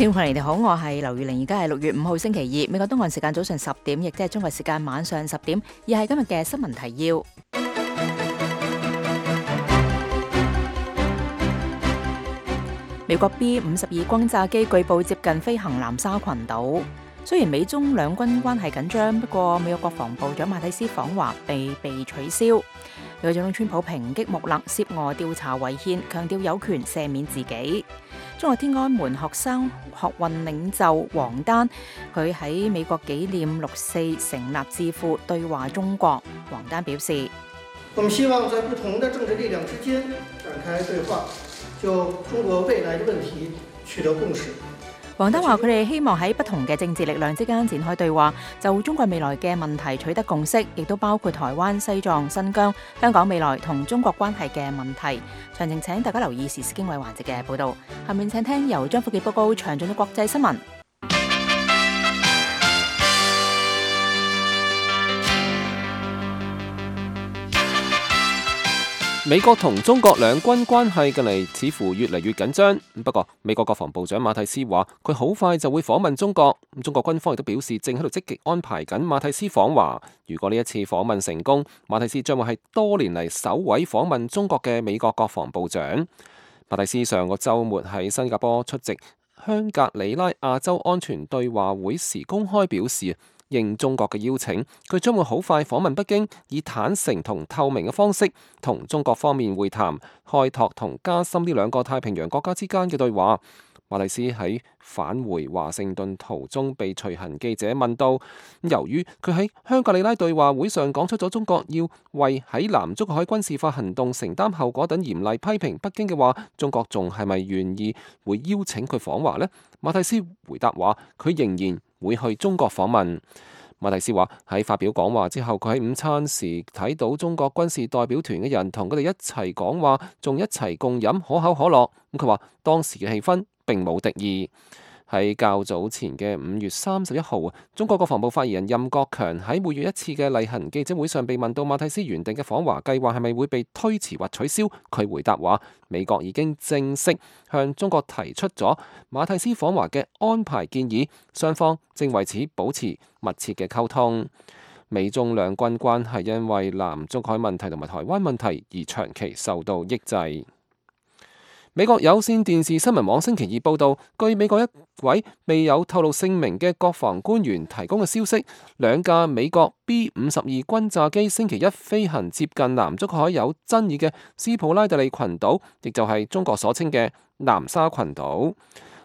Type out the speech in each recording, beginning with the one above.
聽眾朋友你哋好，我係劉月玲，而家係6月5號星期二，美國東岸時間早上10點，亦即係中國時間晚上10點，而係今日嘅新聞提要。美國 B-52轟炸機據報接近飛行南沙群島。雖然美中兩軍關係緊張，不過美國國防部長馬蒂斯訪華被取消。美國總統川普抨擊穆勒涉俄調查違憲，強調有權赦免自己。中國天安門學生學運領袖王丹，佢喺美國紀念6·4成立智庫對話中國。王丹表示：我們希望在不同的政治力量之間展開對話，就中國未來的問題取得共識。王丹話：佢哋希望喺不同嘅政治力量之間展開對話，就中國未來嘅問題取得共識，亦都包括台灣、西藏、新疆、香港未來同中國關係嘅問題。詳情請大家留意時事經緯環節嘅報導。下面請聽由張福傑報告詳盡嘅國際新聞。美國同中國兩軍關係近嚟似乎越嚟越緊張。不過，美國國防部長馬蒂斯話佢好快就會訪問中國。中國軍方亦都表示正喺度積極安排緊馬蒂斯訪華。如果呢一次訪問成功，馬蒂斯將會係多年嚟首位訪問中國嘅美國國防部長。馬蒂斯上個週末喺新加坡出席香格里拉亞洲安全對話會時公開表示，應中國嘅邀請，佢將會好快訪問北京，以坦誠同透明嘅方式同中國方面會談，開拓同加深呢兩個太平洋國家之間嘅對話。馬蒂斯喺返回華盛頓途中被隨行記者問到，由於佢喺香格里拉對話會上講出咗中國要為喺南中國海軍事化行動承擔後果等嚴厲批評北京嘅話，中國仲係咪願意會邀請佢訪華呢？馬蒂斯回答話，佢仍然會去中國訪問。馬蒂斯話喺發表講話之後，佢喺午餐時睇到中國軍事代表團嘅人同佢哋一齊講話，仲一齊共飲可口可樂。咁佢話當時嘅氣氛並冇敵意。喺較早前嘅5月31號，中國國防部發言人任國強喺每月一次嘅例行記者會上被問到馬蒂斯原定嘅訪華計劃係咪會被推遲或取消，佢回答話美國已經正式向中國提出咗馬蒂斯訪華嘅安排建議，雙方正為此保持密切嘅溝通。美中兩軍關係因為南中國海問題同埋台灣問題而長期受到抑制。美國有線電視新聞網星期二報道，據美國一位未有透露姓名嘅國防官員提供嘅消息，兩架美國 B-52轟炸機星期一飛行接近南中國海有爭議嘅斯普拉特利群島，亦就係中國所稱嘅南沙群島。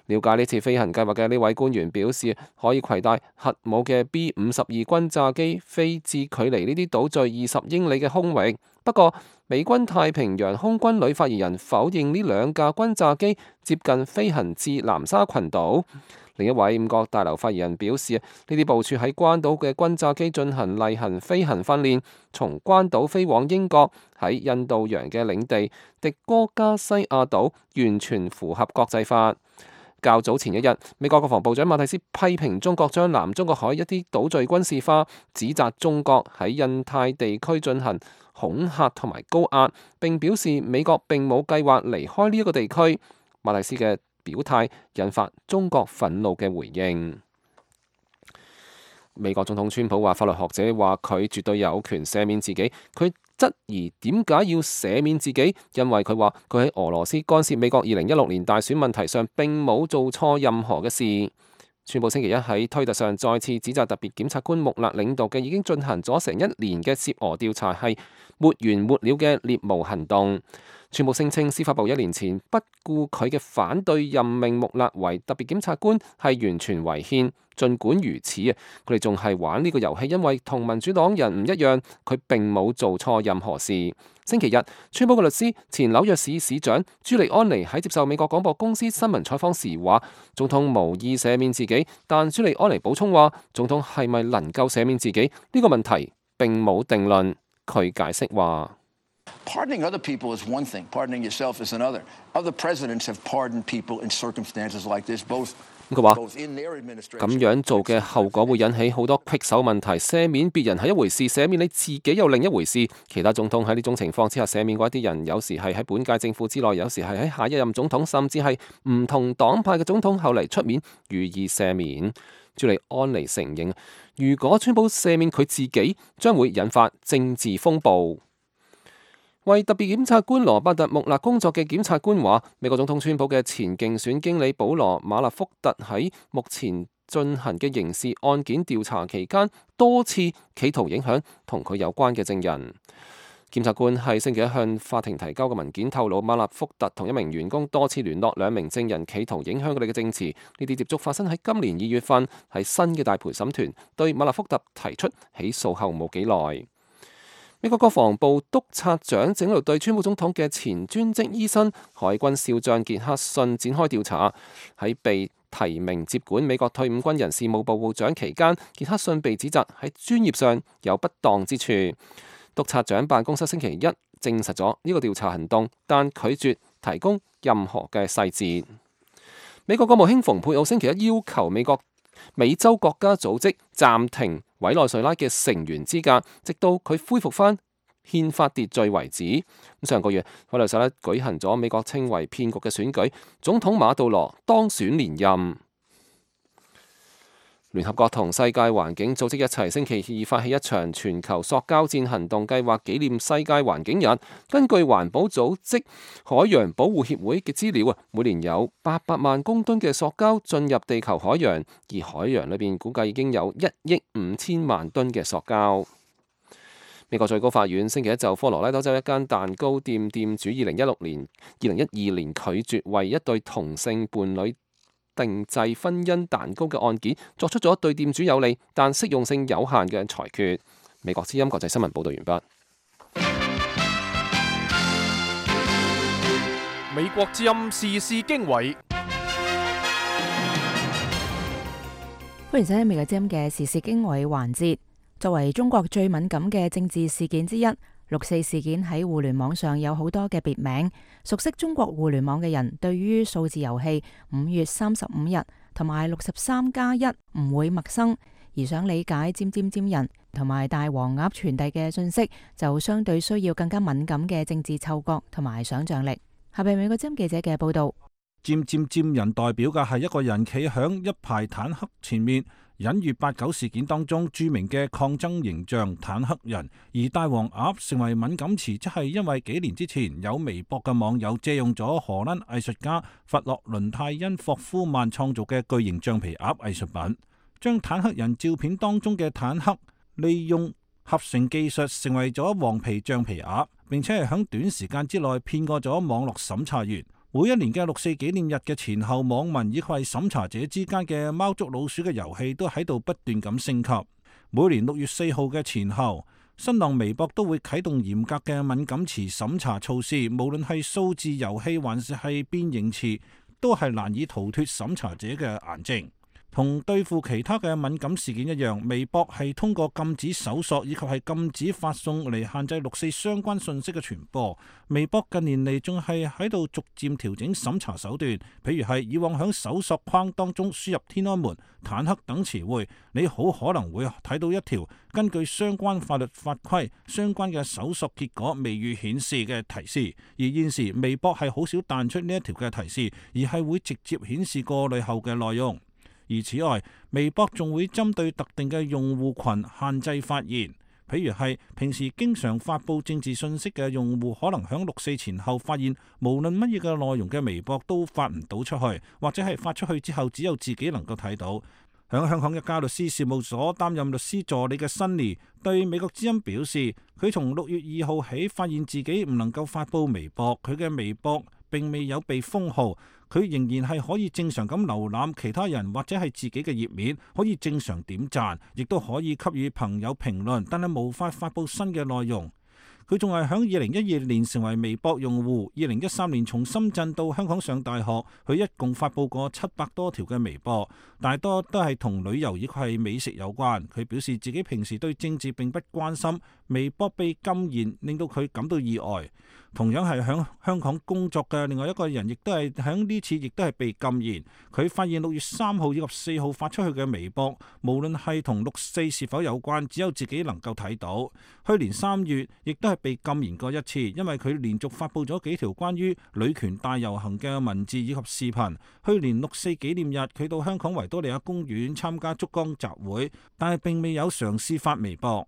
了解呢次飛行計劃嘅呢位官員表示，可以攜帶核武嘅 B-52轟炸機飛至距離呢啲島嶼20英里嘅空域。不過，美軍太平洋空軍旅發言人否認呢兩架轟炸機接近飛行至南沙群島。另一位五角大樓發言人表示，呢啲部署喺關島嘅轟炸機進行例行飛行訓練，從關島飛往英國喺印度洋嘅領地迪戈加西亞島，完全符合國際法。較早前一日，美國國防部長馬蒂斯批評中國將南中國海一啲島嶼軍事化，指責中國喺印太地區進行恐嚇同埋高壓，並表示美國並冇計劃離開呢一個地區。馬蒂斯嘅表態引發中國憤怒嘅回應。美國總統川普話，法律學者話佢絕對有權赦免自己。佢質疑點解要赦免自己，因為佢話佢喺俄羅斯干涉美國2016年大選問題上並冇做錯任何嘅事。川普星期一喺推特上再次指責特別檢察官穆勒領導嘅已經進行咗成1年嘅涉俄調查係沒完沒了嘅獵巫行動。川普聲稱司法部1年前不顧佢嘅反對任命穆勒為特別檢察官係完全違憲。儘管如此佢哋仲係玩呢個遊戲，因為同民主黨人唔一樣，佢並冇做錯任何事。星期日，川普嘅律師前紐約市市長朱利安尼喺接受美國廣播公司新聞採訪時話，總統無意赦免自己，但朱利安尼補充話，總統係咪能夠赦免自己呢個問題並冇定論。佢解釋話：Pardoning other people is one thing, pardoning yourself is another. Other presidents have pardoned people in circumstances like this, both 佢話 both in their 咁 administration. 樣做嘅後果會引起好多棘手問題。赦免別人係一回事，赦免你自己又另一回事。其他總統喺呢種情況之下赦免過一啲人，有時係喺本屆政府之內，有時係喺下一任總統，甚至係唔同黨派嘅總統後嚟出面予以赦免。朱利安尼承認，如果川普赦免佢自己，將會引發政治風暴。為特別檢察官羅伯特·穆勒工作嘅檢察官話，美國總統川普嘅前競選經理保羅·馬勒福特喺目前進行嘅刑事案件調查期間，多次企圖影響同佢有關嘅證人。檢察官喺星期一向法庭提交嘅文件透露，馬勒福特同一名員工多次聯絡兩名證人，企圖影響佢哋嘅證詞。呢啲接觸發生喺今年2月份，喺新嘅大陪審團對馬勒福特提出起訴後冇幾耐。美國國防部督察長正喺度對川普總統嘅前專職醫生海軍少將傑克遜展開調查。喺被提名接管美國退伍軍人事務部部長期間，傑克遜被指責喺專業上有不當之處。督察長辦公室星期一證實咗呢個調查行動，但拒絕提供任何嘅細節。美國國務卿蓬佩奧星期一要求美洲國家組織暫停委內瑞拉嘅成員資格，直到佢恢復返憲法秩序為止。上個月委內瑞拉舉行咗美國稱為騙局嘅選舉，總統馬杜羅當選連任。聯合國同世界環境組織一齊星期二發起一場全球塑膠戰行動計劃，紀念世界環境日。根據環保組織海洋保護協會嘅資料啊，每年有800萬公噸嘅塑膠進入地球海洋，而海洋裏邊估計已經有1億5千萬噸嘅塑膠。美國最高法院星期一就科羅拉多州一間蛋糕店店主2012年拒絕為一對同性伴侶定製婚姻蛋糕嘅案件，作出咗對店主有利但適用性有限嘅裁決。美國之音國際新聞報道完畢。美國之音時事經緯，歡迎收聽美國之音嘅時事經緯環節。作為中國最敏感嘅政治事件之一，6·4事件喺互聯網上有好多嘅別名。熟悉中國互聯網嘅人，對於數字遊戲5月35日同埋63+1唔會陌生，而想理解尖人同埋大黃鴨傳遞嘅信息，就相對需要更加敏感嘅政治嗅覺同埋想象力。下邊美國之音記者嘅報道。尖人代表嘅係一個人企響一排坦克前面，隱喻8·9事件當中著名嘅抗爭形象坦克人。而大黃鴨成為敏感詞，即係因為幾年之前有微博嘅網友借用咗荷蘭藝術家弗洛倫泰因霍夫曼創造嘅巨型橡皮鴨藝術品，將坦克人照片當中嘅坦克利用合成技術成為咗黃皮橡皮鴨，並且係響短時間之內騙過咗網絡審查員。每一年嘅6·4紀念日嘅前後，網民以及係審查者之間嘅貓捉老鼠嘅遊戲都喺度不斷咁升級。每年6月4號嘅前後，新浪微博都會啟動嚴格嘅敏感詞審查措施，無論係數字遊戲還是係變形詞，都係難以逃脫審查者嘅眼睛。同對付其他嘅敏感事件一樣，微博係通過禁止搜索以及係禁止發送嚟限制6·4相關信息嘅傳播。微博近年嚟仲係喺度逐漸調整審查手段，譬如係以往喺搜索框當中輸入天安門、坦克等詞彙，你好可能會睇到一條根據相關法律法規相關嘅搜索結果未予顯示嘅提示。而現時微博係好少彈出呢一條嘅提示，而係會直接顯示過濾後嘅內容。而此外，微博仲會針對特定嘅用戶群限制發言，譬如係平時經常發佈政治信息嘅用戶，可能響6·4前後發現，無論乜嘢嘅內容嘅微博都發唔到出去，或者係發出去之後只有自己能夠睇到。響香港一家律師事務所擔任律師助理嘅辛尼對美國之音表示，佢從6月2號起發現自己唔能夠發佈微博，佢嘅微博並未有被封號，佢仍然係可以正常咁瀏覽其他人或者係自己嘅頁面，可以正常點讚，亦都可以給予朋友評論，但係無法發佈新嘅內容。佢仲係響2012年成為微博用戶，2013年從深圳到香港上大學，佢一共發佈過700多條嘅微博，大多都係同旅遊以及係美食有關。佢表示自己平時對政治並不關心，微博被禁言令到佢感到意外。同樣係響香港工作嘅另外一個人，亦都係響呢次亦都係被禁言。佢發現6月3號以及4號發出去嘅微博，無論係同6·4是否有關，只有自己能夠睇到。去年3月亦都係被禁言過一次，因為佢連續發布咗幾條關於女權大遊行嘅文字以及視頻。去年6·4紀念日，佢到香港維多利亞公園參加燭光集會，但係並未有嘗試發微博。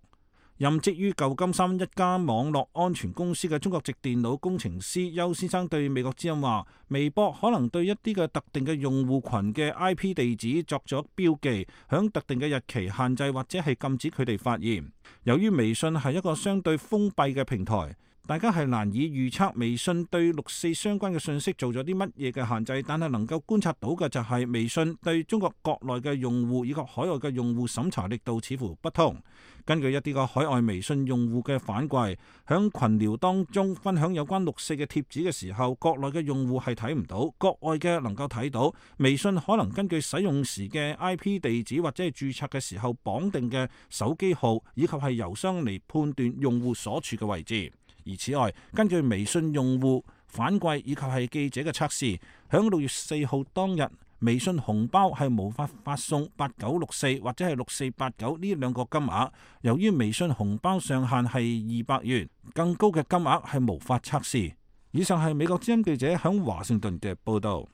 任職於舊金山一家網絡安全公司嘅中國籍電腦工程師邱先生對美國之音話：微博可能對一啲嘅特定嘅用戶群嘅 IP 地址作咗標記，響特定嘅日期限制或者係禁止佢哋發言。由於微信係一個相對封閉嘅平台，大家係難以預測微信對6·4相關嘅信息做咗啲乜嘢嘅限制，但係能夠觀察到嘅就係微信對中國國內嘅用戶以及海外嘅用戶審查力度似乎不同。根據一啲個海外微信用戶嘅反饋，響群聊當中分享有關6·4嘅貼紙嘅時候，國內嘅用戶係睇唔到，國外嘅能夠睇到。微信可能根據使用時嘅 IP 地址或者係註冊嘅時候綁定嘅手機號以及係郵箱嚟判斷用戶所處嘅位置。而此外，根據微信用戶反饋以及係記者嘅測試，響6月4號當日，微信紅包係無法發送8964或者係6489呢兩個金額。由於微信紅包上限係200元，更高嘅金額係無法測試。以上係美國之音記者響華盛頓嘅報導。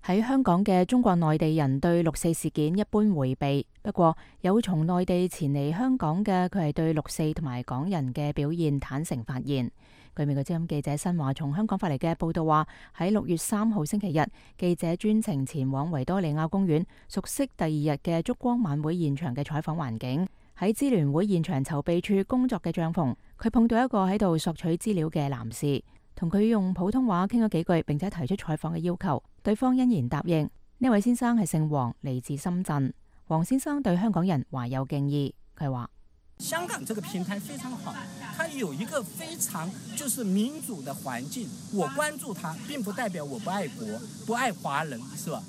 喺香港嘅中國內地人對6·4事件一般迴避，不過有從內地前嚟香港嘅，佢係對6·4同埋港人嘅表現坦誠發言。據美國之音記者新華從香港發嚟嘅報道話，喺6月3號星期日，記者專程前往維多利亞公園，熟悉第2日嘅燭光晚會現場嘅採訪環境。喺支聯會現場籌備處工作嘅帳篷，佢碰到一個喺度索取資料嘅男士，同佢用普通話傾咗幾句，並且提出採訪嘅要求，對方欣然答應。呢位先生係姓黃，嚟自深圳。黃先生對香港人懷有敬意，佢話：香港這個平台非常好，它有一個非常就是民主的環境，我關注它並不代表我不愛國、不愛華人，是吧？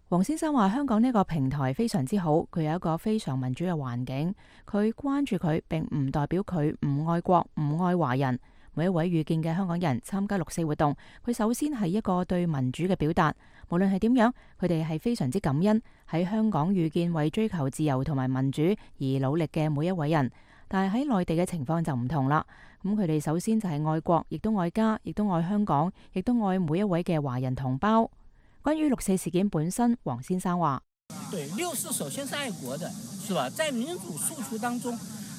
黃先生話：香港呢個平台非常之好，佢有一個非常民主嘅環境，佢關注佢並唔代表佢唔愛國、唔愛華人。每一位遇見嘅香港人參加6·4活動，佢首先係一個對民主嘅表達。無論係點樣，佢哋係非常之感恩喺香港遇見為追求自由同埋民主而努力嘅每一位人。但係喺內地嘅情況就唔同啦。咁佢哋首先就係愛國，亦都愛家，亦都愛香港，亦都愛每一位嘅華人同胞。關於6·4事件本身，黃先生話：對，6·4首先是愛國的，是吧？在民主訴求當中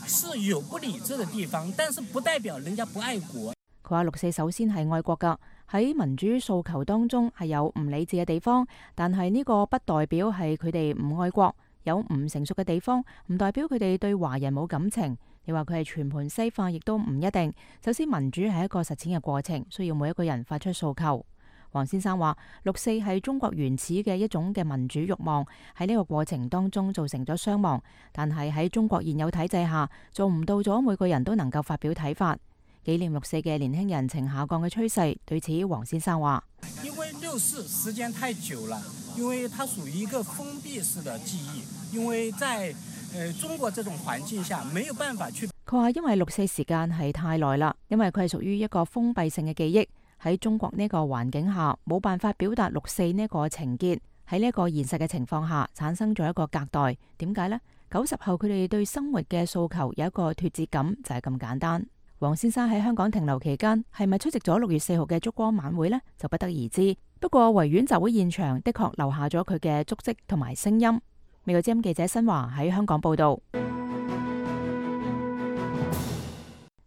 是有不理智的地方，但是不代表人家不愛國。佢話6·4首先係愛國噶，喺民主訴求當中係有唔理智嘅地方，但係呢個不代表係佢哋唔愛國。有唔成熟嘅地方，唔代表佢哋對華人冇感情。你話佢係全盤西化，亦都唔一定。首先，民主係一個實踐嘅過程，需要每一個人發出訴求。黃先生話6·4係中國原始嘅一種嘅民主慾望，喺呢個過程當中造成咗傷亡，但係喺中國現有體制下做唔到咗每個人都能夠發表睇法。紀念6·4嘅年輕人呈下降嘅趨勢，對此黃先生話：因為6·4時間太久了，因為它屬於一個封閉式的記憶，因為在中國這種環境下沒有辦法去。佢話因為6·4時間係太耐啦，因為佢係屬於一個封閉性嘅記憶。喺中國呢個環境下，冇辦法表達6·4呢個情結。喺呢個現實嘅情況下，產生咗一個隔代。點解呢？90後佢哋對生活嘅訴求有一個脫節感，就係咁簡單。黃先生喺香港停留期間，係咪出席咗6月4號嘅燭光晚會呢？就不得而知。不過維園集會現場的確留下咗佢嘅足跡同埋聲音。美國之音記者新華喺香港報道。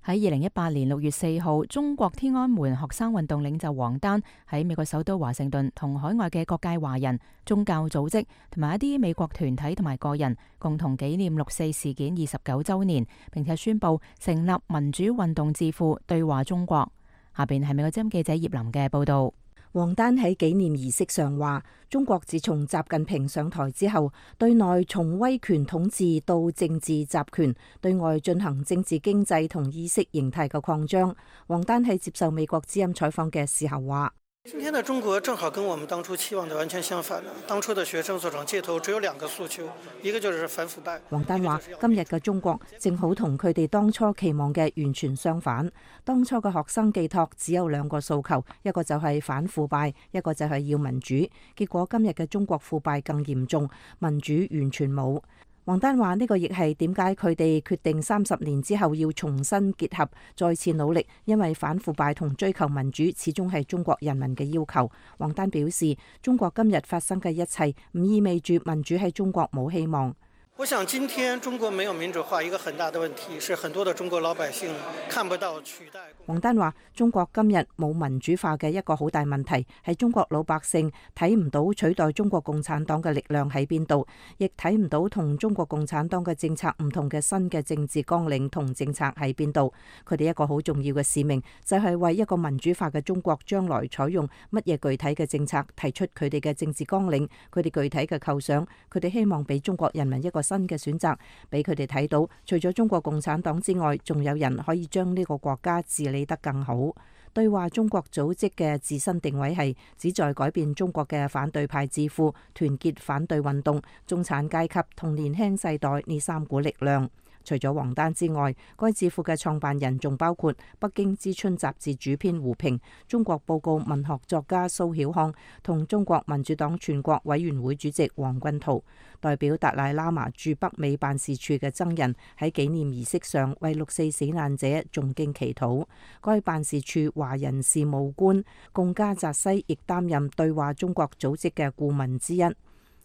喺2018年6月4號，中國天安門學生運動領袖王丹喺美國首都華盛頓同海外嘅各界華人、宗教組織同埋一啲美國團體同埋個人共同紀念6·4事件29週年，並且宣布成立民主運動智庫對話中國。下邊係美國之音記者葉林嘅報道。王丹喺紀念儀式上話：中國自從習近平上台之後，對內從威權統治到政治集權，對外進行政治經濟同意識形態嘅擴張。王丹喺接受美國之音採訪嘅時候話：今天的中國正好跟我們當初期望的完全相反。當初的學生所長街頭只有兩個訴求，一個就是反腐敗。王丹話：今日嘅中國正好同佢哋當初期望嘅完全相反。當初嘅學生寄託只有兩個訴求，一個就係反腐敗，一個就係要民主。結果今日嘅中國腐敗更嚴重，民主完全冇。王丹話：呢個亦係點解佢哋決定30年之後要重新結合，再次努力，因為反腐敗同追求民主始終係中國人民嘅要求。王丹表示，中國今日發生嘅一切唔意味住民主喺中國冇希望。我想今天中國沒有民主化，一個很大的問題是很多的中國老百姓看不到取代。王丹話：中國今日冇民主化嘅一個好大問題係中國老百姓睇唔到取代中國共產黨嘅力量喺邊度，亦睇唔到同中國共產黨嘅政策唔同嘅新嘅政治綱領同政策喺邊度。佢哋一個好重要嘅使命就係為一個民主化嘅中國將來採用乜嘢具體嘅政策，提出佢哋嘅政治綱領，佢哋具體嘅構想，佢哋希望俾中國人民一個新嘅選擇，俾佢哋睇到，除咗中國共產黨之外，仲有人可以將呢個國家治理得更好。對話中國組織嘅自身定位係旨在改變中國嘅反對派智庫，團結反對運動、中產階級同年輕世代呢3股力量。除咗王丹之外，該智庫嘅創辦人仲包括北京之春雜誌主編胡平、中國報告文學作家蘇曉康同中國民主黨全國委員會主席王軍濤。代表達賴喇嘛駐北美辦事處嘅僧人喺紀念儀式上為6·4死難者誦經祈禱。該辦事處華人事務官貢加澤西亦擔任對話中國組織嘅顧問之一。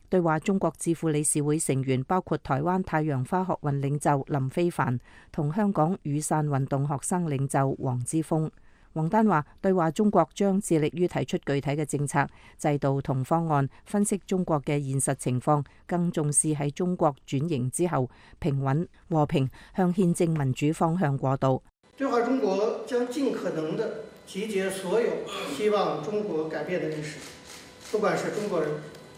對話中國智庫理事會成員包括台灣太陽花學運領袖林飛帆同香港雨傘運動學生領袖黃之鋒。王丹話：對話中國將致力於提出具體嘅政策、制度同方案，分析中國嘅現實情況，更重視喺中國轉型之後平穩和平向憲政民主方向過渡。對話中國將盡可能地集結所有希望中國改變的人士，不管是中國人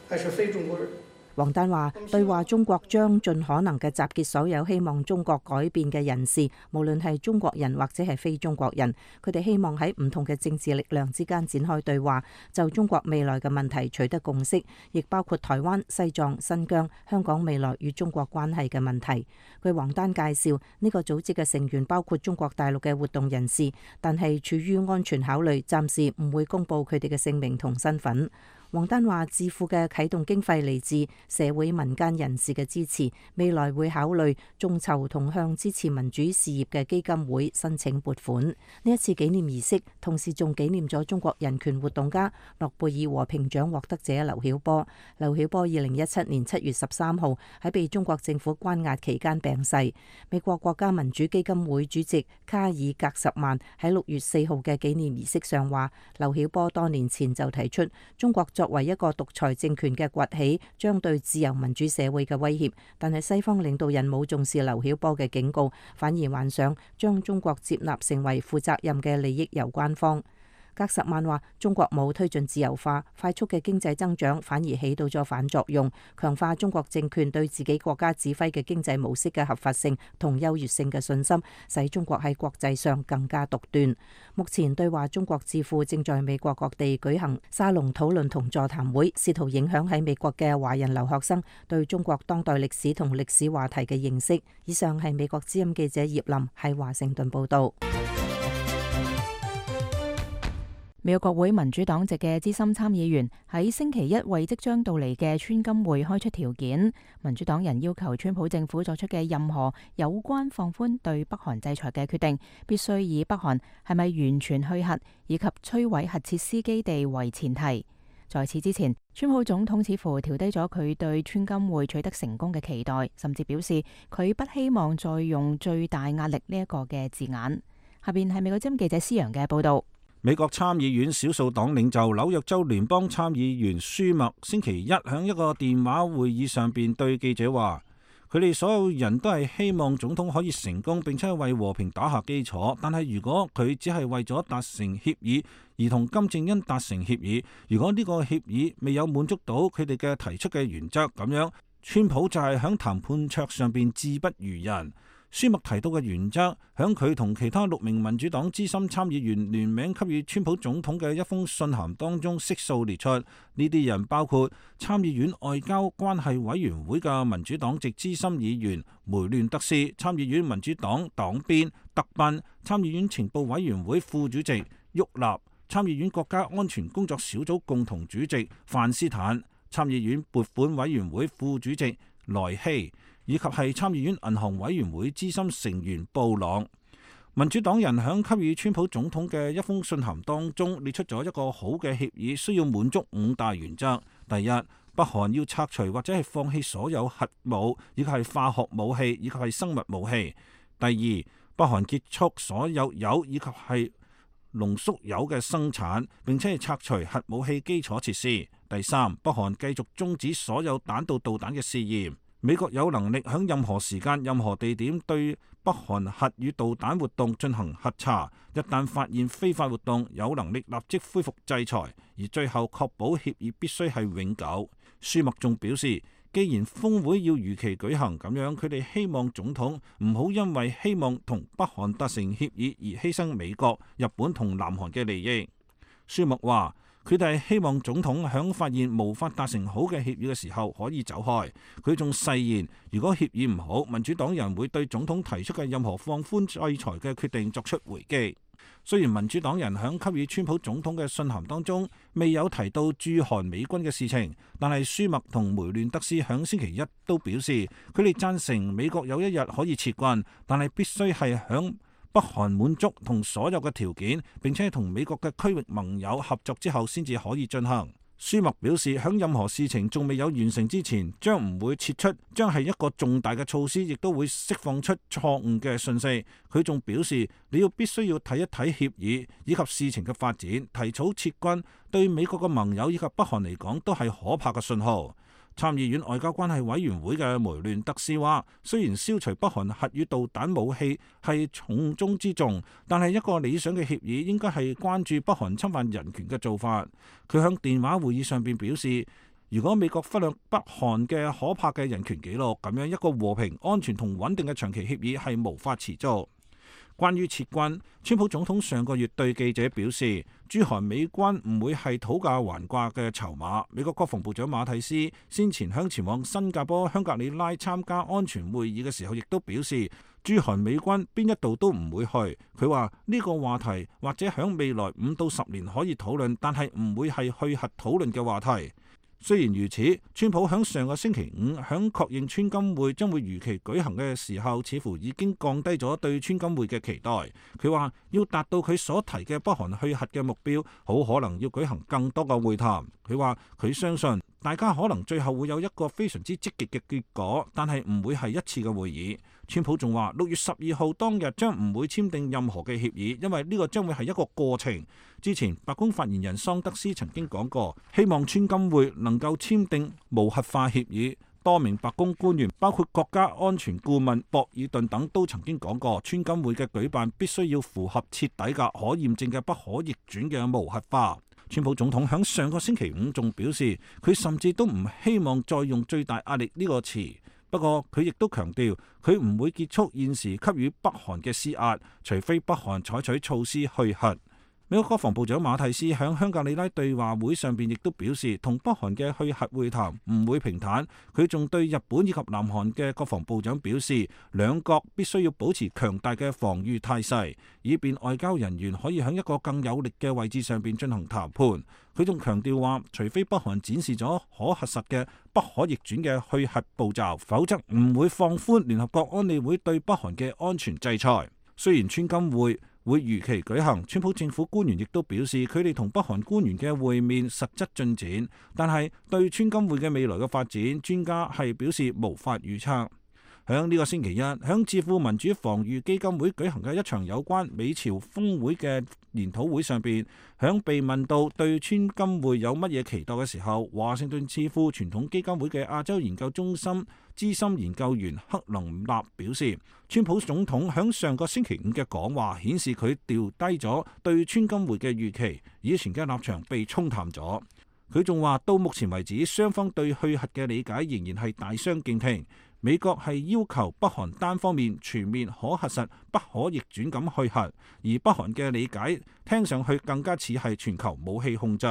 還是非中國人。王丹話：對話中國將盡可能嘅集結所有希望中國改變嘅人士，無論係中國人或者係非中國人，佢哋希望喺唔同嘅政治力量之間展開對話，就中國未來嘅問題取得共識，亦包括台灣、西藏、新疆、香港未來與中國關係嘅問題。據王丹介紹，呢個組織嘅成員包括中國大陸嘅活動人士，但係出於安全考慮，暫時唔會公布佢哋嘅姓名同身份。王丹話：智庫嘅啟動經費嚟自社會民間人士嘅支持，未來會考慮眾籌同向支持民主事業嘅基金會申請撥款。呢一次紀念儀式，同時仲紀念咗中國人權活動家、諾貝爾和平獎獲得者劉曉波。劉曉波2017年7月13號喺被中國政府關押期間病逝。美國國家民主基金會主席卡爾格什曼喺6月4號嘅紀念儀式上話：劉曉波多年前就提出中國作為一個獨裁政權嘅崛起，將對自由民主社會嘅威脅，但係西方領導人冇重視劉曉波嘅警告，反而幻想將中國接納成為負責任嘅利益攸關方。格什曼話：中國冇推進自由化，快速嘅經濟增長反而起到咗反作用，強化中國政權對自己國家指揮嘅經濟模式嘅合法性同優越性嘅信心，使中國喺國際上更加獨斷。目前對話中國智庫正在美國各地舉行沙龍討論同座談會，試圖影響喺美國嘅華人留學生對中國當代歷史同歷史話題嘅認識。以上係美國之音記者葉林喺華盛頓報道。美國國會民主黨籍嘅資深參議員喺星期一為即將到嚟嘅川金會開出條件，民主黨人要求川普政府作出嘅任何有關放寬對北韓制裁嘅決定，必須以北韓係咪完全去核以及摧毀核設施基地為前提。在此之前，川普總統似乎調低咗佢對川金會取得成功嘅期待，甚至表示佢不希望再用最大壓力呢一個嘅字眼。下邊係美國之音記者施洋嘅報道。美國參議院少數黨領袖紐約州聯邦參議員舒默星期一喺一個電話會議上邊對記者話，佢哋所有人都係希望總統可以成功，並且為和平打下基礎。但係如果佢只係為咗達成協議而同金正恩達成協議，如果呢個協議未有滿足到佢哋嘅提出嘅原則，咁樣川普就係喺談判桌上邊志不如人。舒默提到嘅原則，響佢同其他6名民主黨資深參議員聯名給予川普總統嘅一封信函當中悉數列出。呢啲人包括參議院外交關係委員會嘅民主黨籍資深議員梅亂德斯、參議院民主黨黨鞭特賓、參議院情報委員會副主席沃納、參議院國家安全工作小組共同主席范斯坦、參議院撥款委員會副主席萊希，以及係參議院銀行委員會資深成員布朗。民主黨人響給予川普總統嘅一封信函當中列出咗一個好嘅協議，需要滿足5大原則。第一，北韓要拆除或者係放棄所有核武，以及係化學武器，以及係生物武器。第二，北韓結束所有鈾以及係濃縮鈾嘅生產，並且係拆除核武器基礎設施。第三，北韓繼續終止所有彈道導彈嘅試驗。美國有能力喺任何時間、任何地點對北韓核與導彈活動進行核查，一旦發現非法活動，有能力立即恢復制裁，而最後確保協議必須係永久。舒默仲表示，既然峰會要如期舉行，咁樣佢哋希望總統唔好因為希望同北韓達成協議而犧牲美國、日本同南韓嘅利益。舒默話，佢哋希望總統響發現無法達成好嘅協議嘅時候可以走開。佢仲誓言，如果協議唔好，民主黨人會對總統提出嘅任何放寬制裁嘅決定作出回擊。雖然民主黨人響給予川普總統嘅信函當中未有提到駐韓美軍嘅事情，但係舒默同梅亂德斯響星期一都表示，佢哋贊成美國有一日可以撤軍，但係必須係響北韓滿足同所有嘅條件，並且同美國嘅區域盟友合作之後先至可以進行。舒默表示，響任何事情仲未有完成之前，將唔會撤出，將係一個重大嘅措施，亦都會釋放出錯誤嘅訊息。佢仲表示，你必須要睇一睇協議以及事情嘅發展，提早撤軍對美國嘅盟友以及北韓嚟講都係可怕嘅信號。參議院外交關係委員會嘅梅亂德斯話，雖然消除北韓核與導彈武器係重中之重，但係一個理想嘅協議應該係關注北韓侵犯人權嘅做法。佢響電話會議上邊表示，如果美國忽略北韓嘅可怕嘅人權紀錄，咁樣一個和平、安全同穩定嘅長期協議係無法持續。關於撤軍，川普總統上個月對記者表示，駐韓美軍唔會係討價還價嘅籌碼。美國國防部長馬蒂斯先前向前往新加坡香格里拉參加安全會議嘅時候，亦都表示駐韓美軍邊一度都唔會去。佢話呢個話題或者響未來5到10年可以討論，但係唔會係去核討論嘅話題。雖然如此，川普響上個星期五響確認川金會將會如期舉行嘅時候，似乎已經降低咗對川金會嘅期待。佢話要達到佢所提嘅北韓去核嘅目標，好可能要舉行更多嘅會談。佢話佢相信大家可能最後會有一個非常之積極嘅結果，但係唔會係一次嘅會議。川普仲話6月12號當日將唔會簽訂任何嘅協議，因為呢個將會係一個過程。之前白宮發言人桑德斯曾經講過，希望川金會能夠簽訂無核化協議。多名白宮官員，包括國家安全顧問博爾頓等，都曾經講過，川金會嘅舉辦必須要符合徹底嘅可驗證嘅不可逆轉嘅無核化。川普總統響上個星期五仲表示，佢甚至都唔希望再用最大壓力呢個詞。不過佢亦都強調，佢唔會結束現時給予北韓嘅施壓，除非北韓採取措施去核。美國國防部長馬蒂斯喺香格里拉對話會上邊亦都表示，同北韓嘅去核會談唔會平坦。佢仲對日本以及南韓嘅國防部長表示，兩國必須要保持強大嘅防禦態勢，以便外交人員可以喺一個更有力嘅位置上邊進行談判。佢仲強調話，除非北韓展示咗可核實嘅不可逆轉嘅去核步驟，否則唔會放寬聯合國安理會對北韓嘅安全制裁。雖然川金會如期舉行，川普政府官員亦都表示，佢哋同北韓官員嘅會面實質進展，但係對川金會嘅未來嘅發展，專家係表示無法預測。響呢個星期一，響智庫民主防禦基金會舉行嘅一場有關美朝峰會嘅研討會上邊，響被問到對川金會有乜嘢期待嘅時候，華盛頓智庫傳統基金會嘅亞洲研究中心資深研究員克林納表示，川普總統響上個星期五嘅講話顯示佢調低咗對川金會嘅預期，以前嘅立場被沖淡咗。佢仲話到目前為止，雙方對去核嘅理解仍然係大相徑庭。美國係要求北韓單方面全面可核實、不可逆轉咁去核，而北韓嘅理解聽上去更加似係全球武器控制。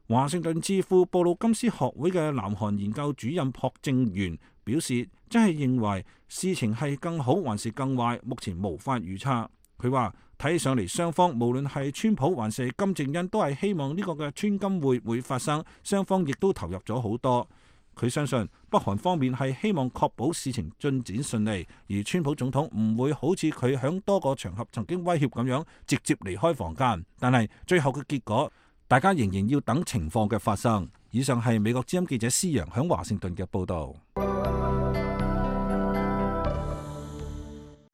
華盛頓智庫布魯金斯學會嘅南韓研究主任朴正元表示，真係認為事情係更好還是更壞，目前無法預測。佢話睇上嚟雙方無論係川普還是金正恩都係希望呢個嘅川金會發生，雙方亦都投入咗好多。佢相信北韓方面係希望確保事情進展順利，而川普總統唔會好似佢響多個場合曾經威脅咁樣直接離開房間。但係最後嘅結果，大家仍然要等情況嘅發生。以上係美國之音記者施陽響華盛頓嘅報導。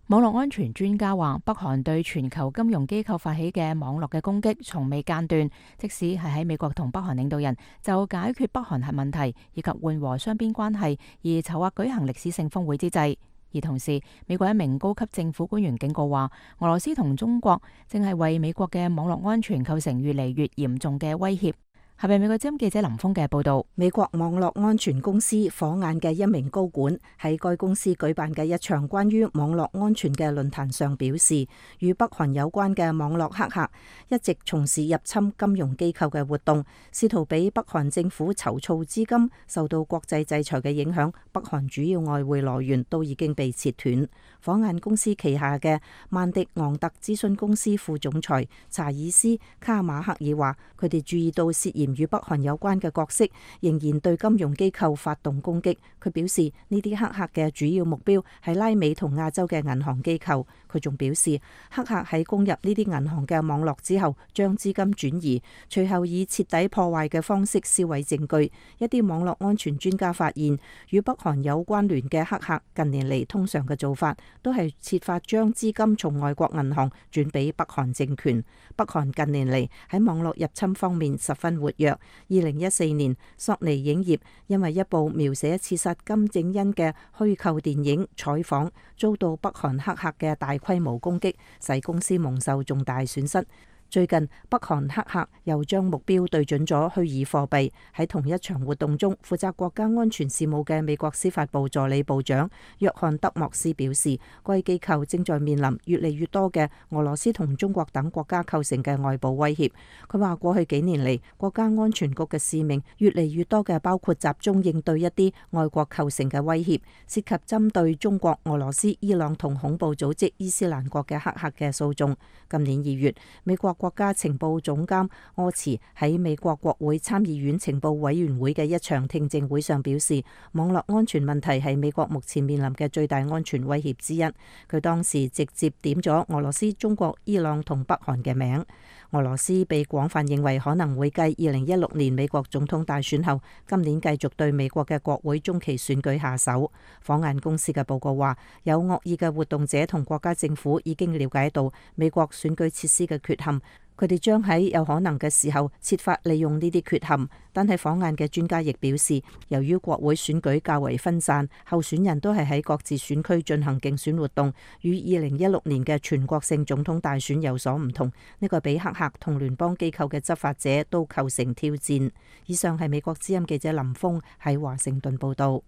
網絡安全專家話，北韓對全球金融機構發起嘅網絡嘅攻擊從未間斷，即使係喺美國同北韓領導人就解決北韓核問題以及緩和雙邊關係而籌劃舉行歷史性峰會之際。而同時，美國一名高級政府官員警告話，俄羅斯同中國正係為美國嘅網絡安全構成越嚟越嚴重嘅威脅。下邊美國之音記者林峰嘅報道。美國網絡安全公司火眼嘅一名高管喺該公司舉辦嘅一場關於網絡安全嘅論壇上表示，與北韓有關嘅網絡黑客一直從事入侵金融機構嘅活動，試圖俾北韓政府籌措資金。受到國際制裁嘅影響，北韓主要外匯來源都已經被切斷。火眼公司旗下嘅曼迪昂特諮詢公司副總裁查爾斯卡馬克爾話，佢哋注意到涉嫌與北韓有關嘅角色仍然對金融機構發動攻擊。佢表示呢啲黑客嘅主要目標係拉美同亞洲嘅銀行機構。佢仲表示，黑客喺攻入呢啲銀行嘅網絡之後，將資金轉移，隨後以徹底破壞嘅方式銷毀證據。一啲網絡安全專家發現，與北韓有關聯嘅黑客近年嚟通常嘅做法都係設法將資金從外國銀行轉俾北韓政權。北韓近年嚟喺網絡入侵方面十分活躍。2014年，索尼影業因為一部描寫刺殺金正恩嘅虛構電影《採訪》，遭到北韓黑客嘅大規模攻擊，使公司蒙受重大損失。最近，北韓黑客又將目標對準咗虛擬貨幣。喺同一場活動中，負責國家安全事務嘅美國司法部助理部長約翰德莫斯表示，該機構正在面臨越嚟越多嘅俄羅斯同中國等國家構成嘅外部威脅。佢話過去幾年嚟，國家安全局嘅使命越嚟越多嘅包括集中應對一啲外國構成嘅威脅，涉及針對中國、俄羅斯、伊朗同恐怖組織伊斯蘭國嘅黑客嘅訴訟。今年2月，美國國家情報總監柯茨喺美國國會參議院情報委員會嘅一場聽證會上表示，網絡安全問題係美國目前面臨嘅最大安全威脅之一。佢當時直接點咗俄羅斯、中國、伊朗同北韓嘅名。俄羅斯被廣泛認為可能會繼2016年美國總統大選後，今年繼續對美國嘅國會中期選舉下手。火眼公司嘅報告話，有惡意嘅活動者同國家政府已經了解到美國選舉設施嘅缺陷，佢哋將喺有可能嘅時候設法利用呢啲缺陷。但係火眼嘅專家亦表示，由於國會選舉較為分散，候選人都係喺各自選區進行競選活動，與2016年嘅全國性總統大選有所唔同。呢個比黑客同聯邦機構嘅執法者都構成挑戰。以上係美國之音記者林峰喺華盛頓報道。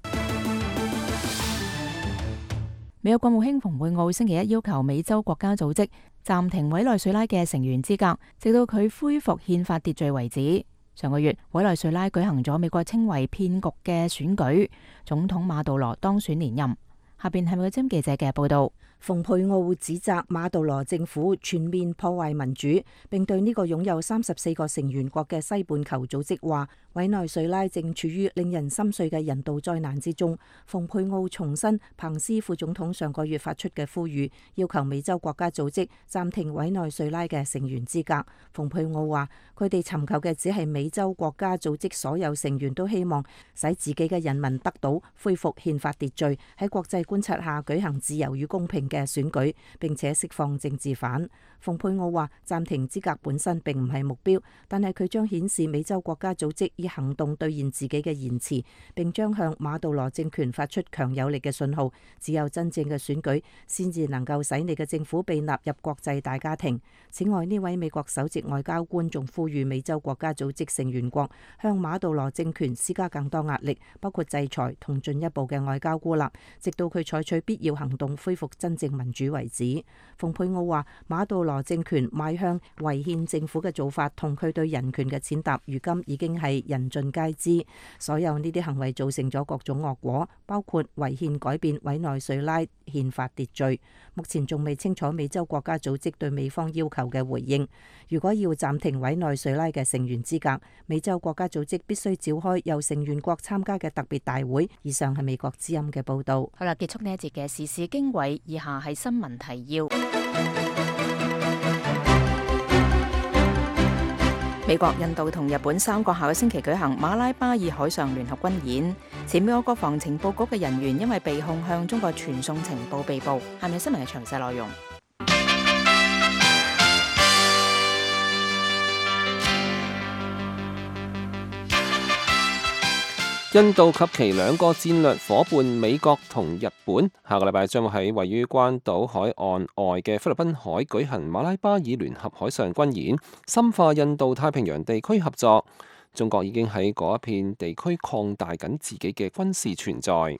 美國國務卿蓬佩奧星期一要求美洲國家組織暫停委內瑞拉嘅成員資格，直到佢恢復憲法秩序為止。上個月，委內瑞拉舉行咗美國稱為騙局嘅選舉，總統馬杜羅當選連任。下邊係美國之音記者嘅報道。蓬佩奧指責馬杜羅政府全面破壞民主，並對呢個擁有34個成員國嘅西半球組織話，委內瑞拉正處於令人心碎嘅人道災難之中。蓬佩奧重申彭斯副總統上個月發出嘅呼籲，要求美洲國家組織暫停委內瑞拉嘅成員資格。蓬佩奧話，佢哋尋求嘅只係美洲國家組織所有成員都希望使自己嘅人民得到恢復憲法秩序，喺國際觀察下舉行自由與公平嘅選舉，並且釋放政治犯。蓬佩奧話暫停資格本身並唔係目標，但係佢將顯示美洲國家組織以行動兌現自己嘅言辭，並將向馬杜羅政權發出強有力嘅信號。只有真正嘅選舉先至能夠使你嘅政府被納入國際大家庭。此外，呢位美國首席外交官仲呼籲美洲國家組織成員國向馬杜羅政權施加更多壓力，包括制裁同進一步嘅外交孤立，直到佢採取必要行動恢復真正民主為止。蓬佩奧話馬杜羅政權邁向違憲政府嘅做法同佢對人權嘅踐踏，如今已經係人盡皆知。所有呢啲行為造成咗各種惡果，包括違憲改變委內瑞拉憲法秩序。目前仲未清楚美洲國家組織對美方要求嘅回應。如果要暫停委內瑞拉嘅成員資格，美洲國家組織必須召開由成員國參加嘅特別大會。以上係美國之音嘅報道。好啦，結束呢一節嘅時事經緯，以下係新聞提要。美國、印度同日本三國下個星期舉行馬拉巴爾海上聯合軍演，前美國國防情報局嘅人員因為被控向中國傳送情報被捕。下面新聞嘅詳細內容。印度及其兩個戰略夥伴美國同日本下個禮拜將會喺位於關島海岸外嘅菲律賓海舉行馬拉巴爾聯合海上軍演，深化印度太平洋地區合作。中國已經喺嗰一片地區擴大緊自己嘅軍事存在。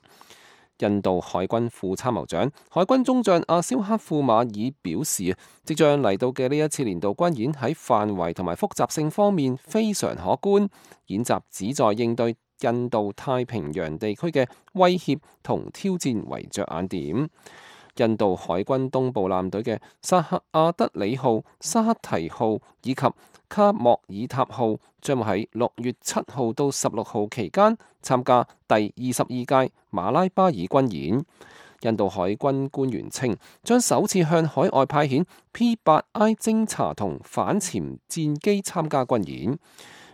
印度海軍副參謀長、海軍中將阿肖克庫馬爾表示，即將嚟到嘅呢一次年度軍演喺範圍同埋複雜性方面非常可觀，演習旨在應對印度太平洋地區嘅威脅同挑戰為着眼點。印度海軍東部艦隊嘅薩克阿德里號、沙克提號以及卡莫爾塔號將會喺6月7號到16號期間參加第22屆馬拉巴爾軍演。印度海軍官員稱，將首次向海外派遣 P-8I 偵察同反潛戰機參加軍演。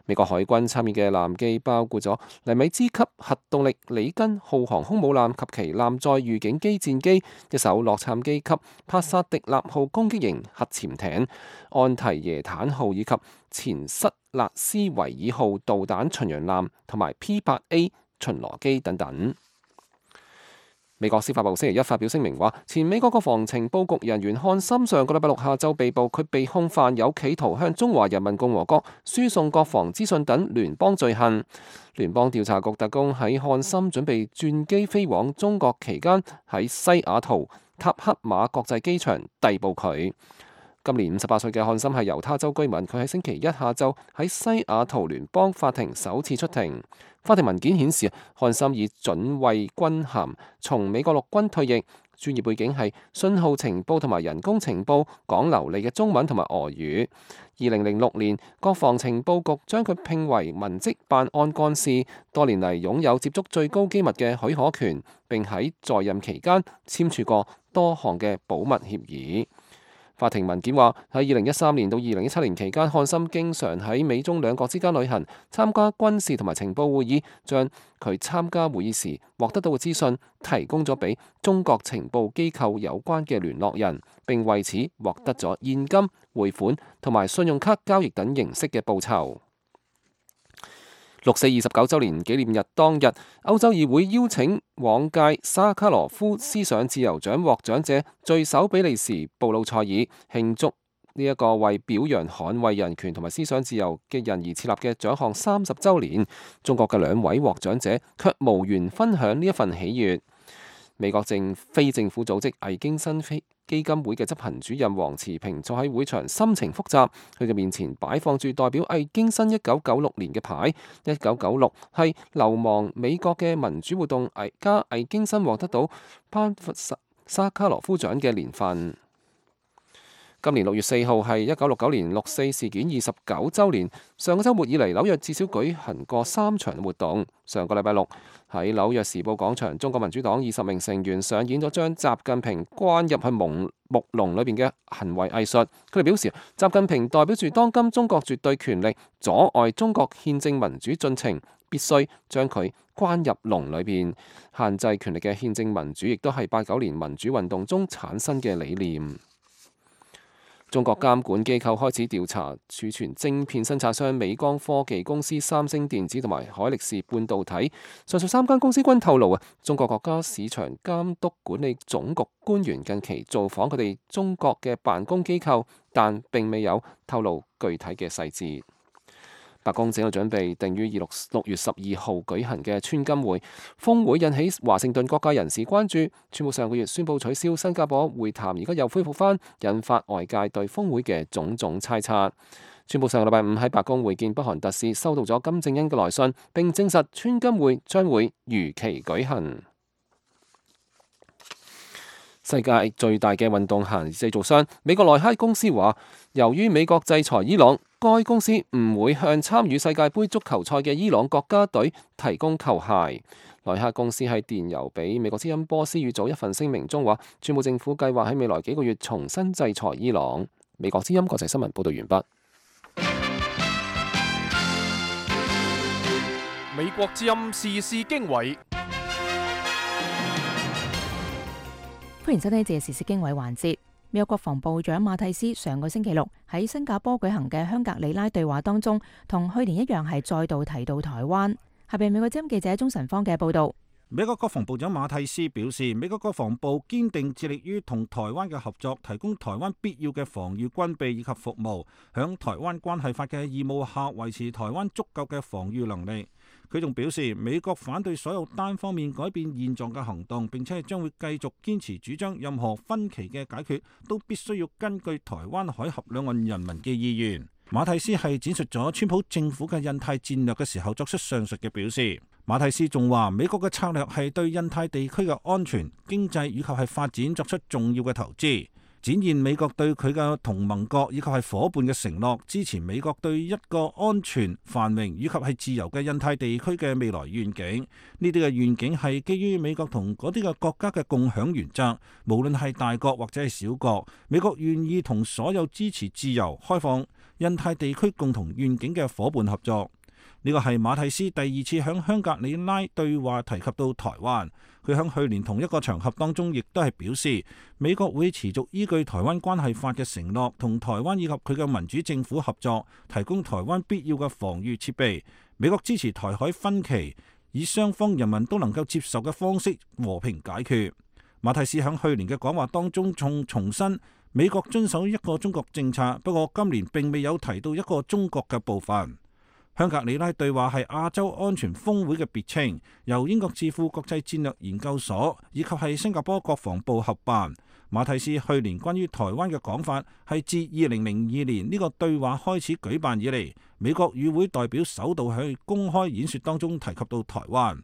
美國海軍參與嘅艦機包括咗尼米茲級核動力里根號航空母艦及其艦載預警機戰機、一艘洛杉磯級帕薩迪納號攻擊型核潛艇、安提耶坦號以及前塞勒斯維爾號導彈巡洋艦同埋 P-8A 巡邏機等等。美國司法部星期一發表聲明話，前美國國防情報局人員漢森上個禮拜六下晝被捕，佢被控犯有企圖向中華人民共和國輸送國防資訊等聯邦罪行。聯邦調查局特工喺漢森準備轉機飛往中國期間，喺西雅圖塔克馬國際機場逮捕佢。今年58歲嘅漢森係猶他州居民，佢喺星期一下晝喺西雅圖聯邦法庭首次出庭。法庭文件顯示，漢森以准尉軍銜從美國陸軍退役，專業背景係信號情報同埋人工情報，講流利嘅中文同埋俄語。2006年，國防情報局將佢聘為文職辦案幹事，多年嚟擁有接觸最高機密嘅許可權，並喺在任期間簽署過多項嘅保密協議。法庭文件話，喺2013年到2017年期間，漢森經常喺美中兩國之間旅行，參加軍事同埋情報會議，將佢參加會議時獲得到嘅資訊提供咗俾中國情報機構有關嘅聯絡人，並為此獲得咗現金、匯款同埋信用卡交易等形式嘅報酬。6·429週年紀念日當日，歐洲議會邀請往屆沙卡羅夫思想自由獎獲獎者聚首比利時布魯塞爾，慶祝呢一個為表揚捍衛人權同埋思想自由嘅人而設立嘅獎項30週年。中國嘅2位獲獎者卻無緣分享呢一份喜悅。美國非政府組織魏京新基金會嘅執行主任黃慈平坐喺會場，心情複雜。佢嘅面前擺放住代表魏京新1996年嘅牌，1996係流亡美國嘅民主活動家魏京新獲得到頒發沙卡羅夫獎嘅年份。今年6月4號係1969年6·4事件29週年。上個週末以嚟，紐約至少舉行過3場活動。上個禮拜六喺紐約時報廣場，中國民主黨20名成員上演咗將習近平關入去木籠裏邊嘅行為藝術。佢哋表示，習近平代表住當今中國絕對權力，阻礙中國憲政民主進程，必須將佢關入籠裏邊。限制權力嘅憲政民主，亦都係89年民主運動中產生嘅理念。中國監管機構開始調查儲存晶片生產商美光科技公司、三星電子同埋海力士半導體。上述3間公司均透露中國國家市場監督管理總局官員近期造訪佢哋中國嘅辦公機構，但並未有透露具體嘅細節。白宮正喺度準備定於6月12號舉行嘅川金會峰會，引起華盛頓各界人士關注。川普上個月宣布取消新加坡會談，而家又恢復返，引發外界對峰會嘅種種猜測。川普上個禮拜五喺白宮會見北韓特使，收到咗金正恩嘅來信，並證實川金會將會如期舉行。世界最大嘅運動鞋製造商美國耐克公司話，由於美國制裁伊朗，該公司唔會向參與世界盃足球賽嘅伊朗國家隊提供球鞋。耐克公司喺電郵俾美國之音波斯語組一份聲明中話，川普政府計劃喺未來幾個月重新制裁伊朗。美國之音國際新聞報道完畢。美國之音時事經緯。歡迎收聽呢節時事經緯環節。美國國防部長馬蒂斯上個星期六喺新加坡舉行嘅香格里拉對話當中，同去年一樣係再度提到台灣。下邊美國之音記者鍾晨芳嘅報道。美國國防部長馬蒂斯表示，美國國防部堅定致力於同台灣嘅合作，提供台灣必要嘅防禦軍備以及服務，響台灣關係法嘅義務下維持台灣足夠嘅防禦能力。佢仲表示，美國反對所有單方面改變現狀嘅行動，並且將會繼續堅持主張任何分歧嘅解決都必須要根據台灣海峽兩岸人民嘅意願。馬蒂斯係展述咗川普政府嘅印太戰略嘅時候作出上述嘅表示。馬蒂斯仲話，美國嘅策略係對印太地區嘅安全、經濟以及係發展作出重要嘅投資，展現美國對佢嘅同盟國以及係夥伴嘅承諾，支持美國對一個安全、繁榮以及係自由嘅印太地區嘅未來願景。呢啲嘅願景係基於美國同嗰啲嘅國家嘅共享原則，無論係大國或者係小國，美國願意同所有支持自由、開放印太地區共同願景嘅夥伴合作。呢個係馬蒂斯第2次響香格里拉對話提及到台灣。佢響去年同一個場合當中，亦都係表示美國會持續依據台灣關係法嘅承諾，同台灣以及佢嘅民主政府合作，提供台灣必要嘅防禦設備。美國支持台海分歧，以雙方人民都能夠接受嘅方式和平解決。馬蒂斯響去年嘅講話當中重申美國遵守一個中國政策，不過今年並未有提到一個中國嘅部分。香格里拉對話係亞洲安全峰會嘅別稱，由英國智庫國際戰略研究所以及係新加坡國防部合辦。馬蒂斯去年關於台灣嘅講法係自2002年呢個對話開始舉辦以嚟，美國與會代表首度喺公開演說當中提及到台灣。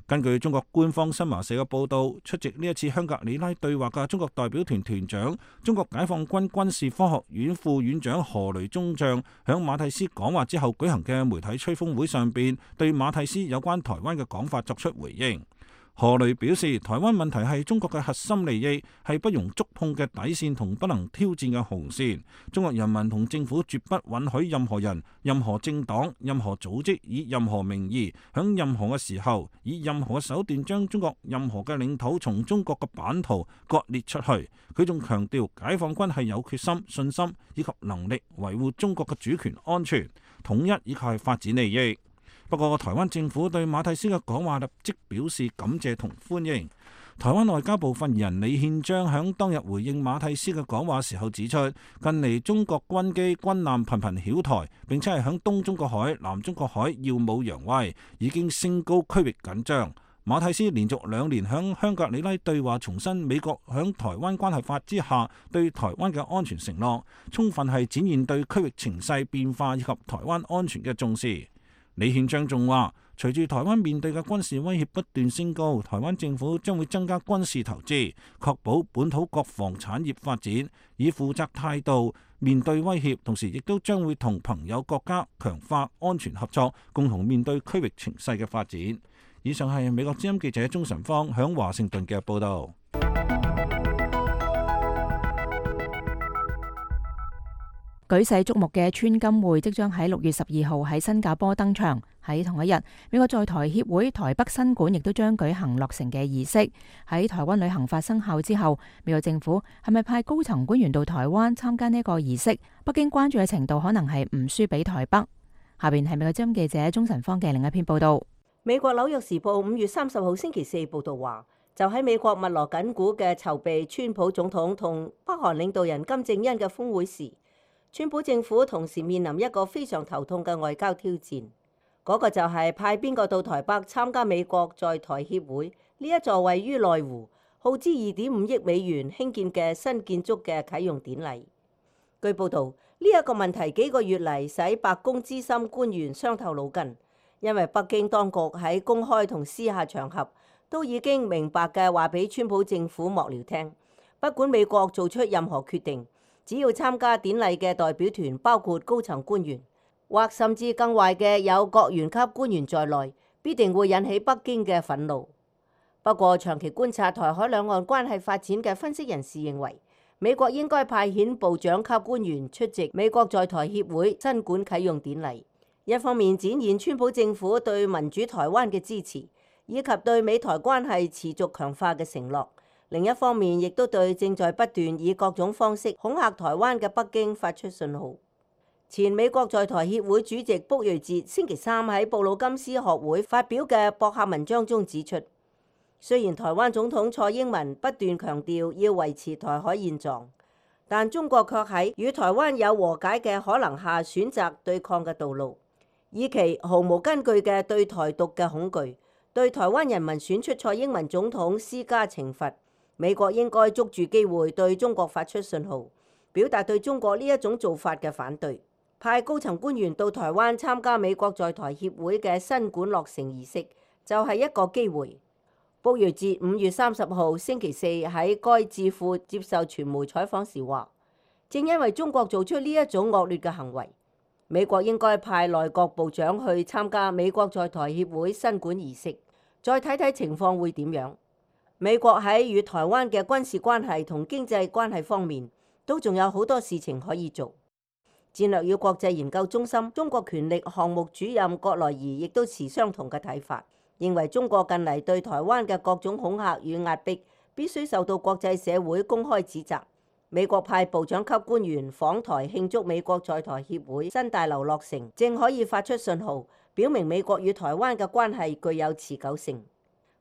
根據中國官方新華社嘅報道，出席呢一次香格里拉對話嘅中國代表團團長、中國解放軍軍事科學院副院長何雷中將響馬蒂斯講話之後舉行嘅媒體吹風會上邊，對馬蒂斯有關台灣嘅講法作出回應。何雷表示，台灣問題係中國嘅核心利益，係不容觸碰嘅底線同不能挑戰嘅紅線。中國人民同政府絕不允許任何人、任何政黨、任何組織以任何名義、響任何嘅時候、以任何嘅手段將中國任何嘅領土從中國嘅版圖割裂出去。佢仲強調，解放軍係有決心、信心以及能力維護中國嘅主權、安全、統一以及係發展利益。不過，台灣政府對馬蒂斯嘅講話立即表示感謝同歡迎。台灣外交部發言人李憲章響當日回應馬蒂斯嘅講話時候指出，近嚟中國軍機軍艦頻頻擾台，並且係響東中國海、南中國海耀武揚威，已經升高區域緊張。馬蒂斯連續2年響香格里拉對話重申美國響台灣關係法之下對台灣嘅安全承諾，充分係展現對區域情勢變化以及台灣安全嘅重視。李憲章仲話，隨住台灣面對嘅軍事威脅不斷升高，台灣政府將會增加軍事投資，確保本土國防產業發展，以負責態度面對威脅，同時亦都將會同朋友國家強化安全合作，共同面對區域情勢嘅發展。以上係美國之音記者鍾晨芳響華盛頓嘅報道。舉世矚目嘅川金會即將喺6月12號喺新加坡登場。喺同一日，美國在台協會台北分館亦都將舉行落成嘅儀式。喺台灣旅行法生效之後，美國政府係咪派高層官員到台灣參加呢個儀式？北京關注嘅程度可能係唔輸俾台北。下邊係美國之音記者鍾晨芳嘅另一篇報道。美國紐約時報5月30號星期四報道話，就喺美國密鑼緊鼓嘅籌備川普總統同北韓領導人金正恩嘅峰會時，川普政府同時面臨一個非常頭痛嘅外交挑戰，嗰個就係派邊個到台北參加美國在台協會呢一座位於內湖、耗資2.5億美元興建嘅新建築嘅啟用典禮。據報道，呢一個問題幾個月嚟使白宮資深官員傷透腦筋，因為北京當局喺公開同私下場合都已經明白嘅話俾川普政府幕僚聽，不管美國做出任何決定，只要參加典禮嘅代表團包括高層官員，或甚至更壞嘅有國員級官員在內，必定會引起北京嘅憤怒。不過，長期觀察台海兩岸關係發展嘅分析人士認為，美國應該派遣部長級官員出席美國在台協會新館啟用典禮，一方面展現川普政府對民主台灣嘅支持，以及對美台關係持續強化嘅承諾。另一方面，亦都對正在不斷以各種方式恐嚇台灣嘅北京發出信號。前美國在台協會主席卜瑞哲星期三喺布魯金斯學會發表嘅博客文章中指出，雖然台灣總統蔡英文不斷強調要維持台海現狀，但中國卻喺與台灣有和解嘅可能下選擇對抗嘅道路，以其毫無根據嘅對台獨嘅恐懼，對台灣人民選出蔡英文總統施加懲罰。美國應該捉住機會對中國發出信號，表達對中國呢一種做法嘅反對。派高層官員到台灣參加美國在台協會嘅新館落成儀式，就係一個機會。卜瑞哲5月30號星期四喺該智庫接受傳媒採訪時話，正因為中國做出呢一種惡劣嘅行為，美國應該派內閣部長去參加美國在台協會新館儀式，再睇睇情況會點樣。美國喺與台灣嘅軍事關係同經濟關係方面，都仲有好多事情可以做。戰略與國際研究中心中國權力項目主任葛萊儀亦都持相同嘅睇法，認為中國近嚟對台灣嘅各種恐嚇與壓迫，必須受到國際社會公開指責。美國派部長級官員訪台慶祝美國在台協會新大樓落成，正可以發出信號，表明美國與台灣嘅關係具有持久性。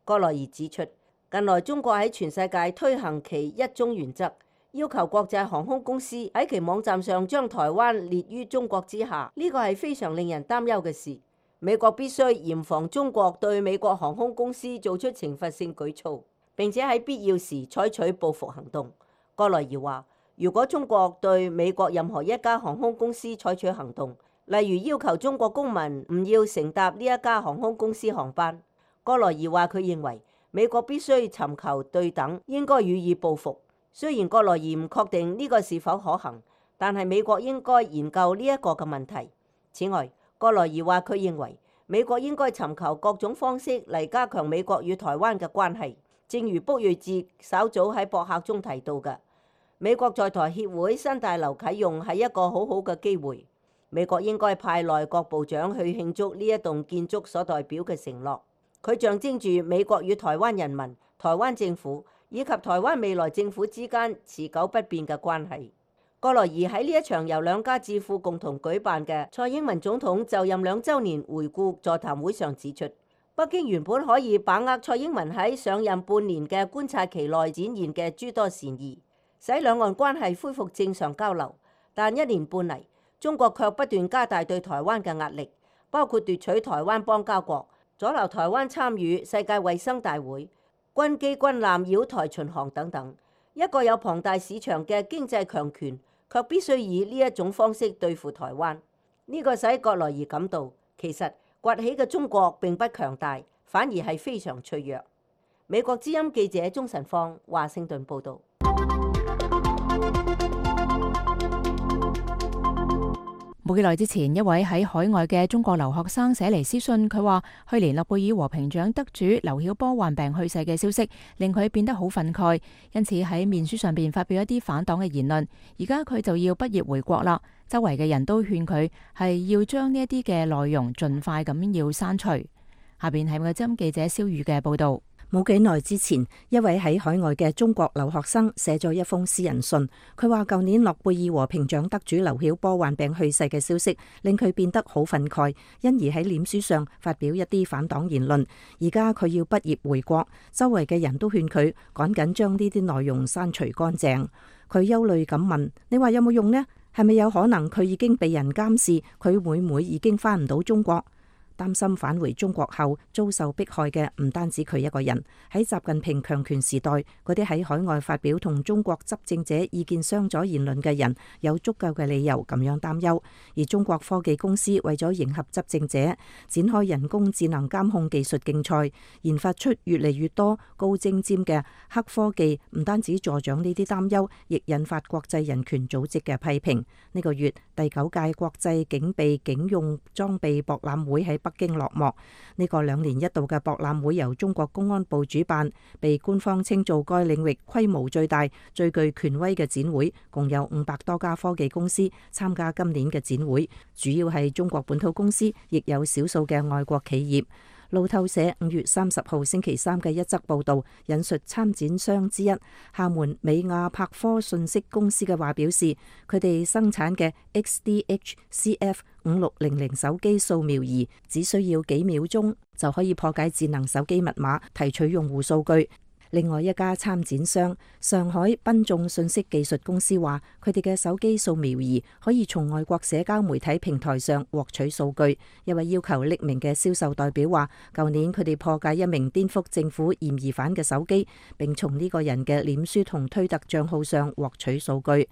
葛萊儀指出，近來中國喺全世界推行其一中原則，要求國際航空公司喺其網站上將台灣列於中國之下，呢個係非常令人擔憂嘅事。美國必須嚴防中國對美國航空公司做出懲罰性舉措，並且喺必要時採取報復行動。葛萊儀話，如果中國對美國任何一家航空公司採取行動，例如要求中國公民唔要乘搭呢一家航空公司航班，葛萊儀話佢認為美國必須尋求對等，應該予以報復。雖然葛萊儀唔確定呢個是否可行，但係美國應該研究呢一個嘅問題。此外，葛萊儀話佢認為美國應該尋求各種方式嚟加強美國與台灣嘅關係。正如卜瑞哲稍早喺博客中提到嘅，美國在台協會新大樓啟用係一個好好嘅機會。美國應該派內閣部長去慶祝呢一棟建築所代表嘅承諾。佢象徵住美國與台灣人民、台灣政府以及台灣未來政府之間持久不變嘅關係。葛萊儀喺呢一場由兩家智庫共同舉辦嘅蔡英文總統就任2週年回顧座談會上指出，北京原本可以把握蔡英文喺上任半年嘅觀察期內展現嘅諸多善意，使兩岸關係恢復正常交流。但1年半嚟，中國卻不斷加大對台灣嘅壓力，包括奪取台灣邦交國、阻撓台灣參與世界衛生大會、軍機軍艦繞台巡航等等。一個有龐大市場嘅經濟強權，卻必須以呢一種方式對付台灣。呢個使葛萊儀感到，其實崛起嘅中國並不強大，反而係非常脆弱。美國之音記者鍾晨芳，華盛頓報導。冇幾耐之前，一位喺海外嘅中國留學生寫嚟私信，佢話去年諾貝爾和平獎得主劉曉波患病去世嘅消息令佢變得好憤慨，因此喺面書上邊發表一啲反黨嘅言論。而家佢就要畢業回國啦，周圍嘅人都勸佢係要將呢一啲嘅內容盡快咁要刪除。下邊係美國之音記者蕭宇嘅報道。冇幾耐之前，一位喺海外嘅中國留學生寫咗一封私人信，佢話舊年諾貝爾和平獎得主劉曉波患病去世嘅消息令佢變得好憤慨，因而喺臉書上發表一啲反黨言論。而家佢要畢業回國，周圍嘅人都勸佢趕緊將呢啲內容刪除乾淨。佢憂慮咁問：你話有冇用呢？係咪有可能佢已經被人監視？佢會唔會已經返唔到中國？擔心返回中國後遭受迫害嘅唔單止佢一個人。喺習近平強權時代，嗰啲喺海外發表同中國執政者意見相左言論嘅人有足夠嘅理由咁樣擔憂。而中國科技公司為咗迎合執政者，展開人工智能監控技術競賽，研發出越嚟越多高精尖嘅黑科技，唔單止助長呢啲擔憂，亦引發國際人權組織嘅批評。呢個月第9屆國際警備警用裝備博覽會喺北京落幕。呢個2年一度嘅博覽會由中國公安部主辦，被官方稱做該領域規模最大、最具權威嘅展會，共有500多家科技公司參加今年嘅展會，主要係中國本土公司，亦有少數嘅外國企業。路透社5月30號星期三嘅一則報導，引述參展商之一廈門美亞柏科信息公司嘅話表示，佢哋生產嘅 XDH-CF5600 手機掃描儀只需要幾秒鐘就可以破解智能手機密碼，提取用戶數據。另外一家參展商上海賓眾信息技術公司話，佢哋嘅手機掃描儀可以從外國社交媒體平台上獲取數據。一位要求匿名嘅銷售代表話，舊年佢哋破解一名顛覆政府嫌疑犯嘅手機，並從呢個人嘅臉書同推特賬號上獲取數據。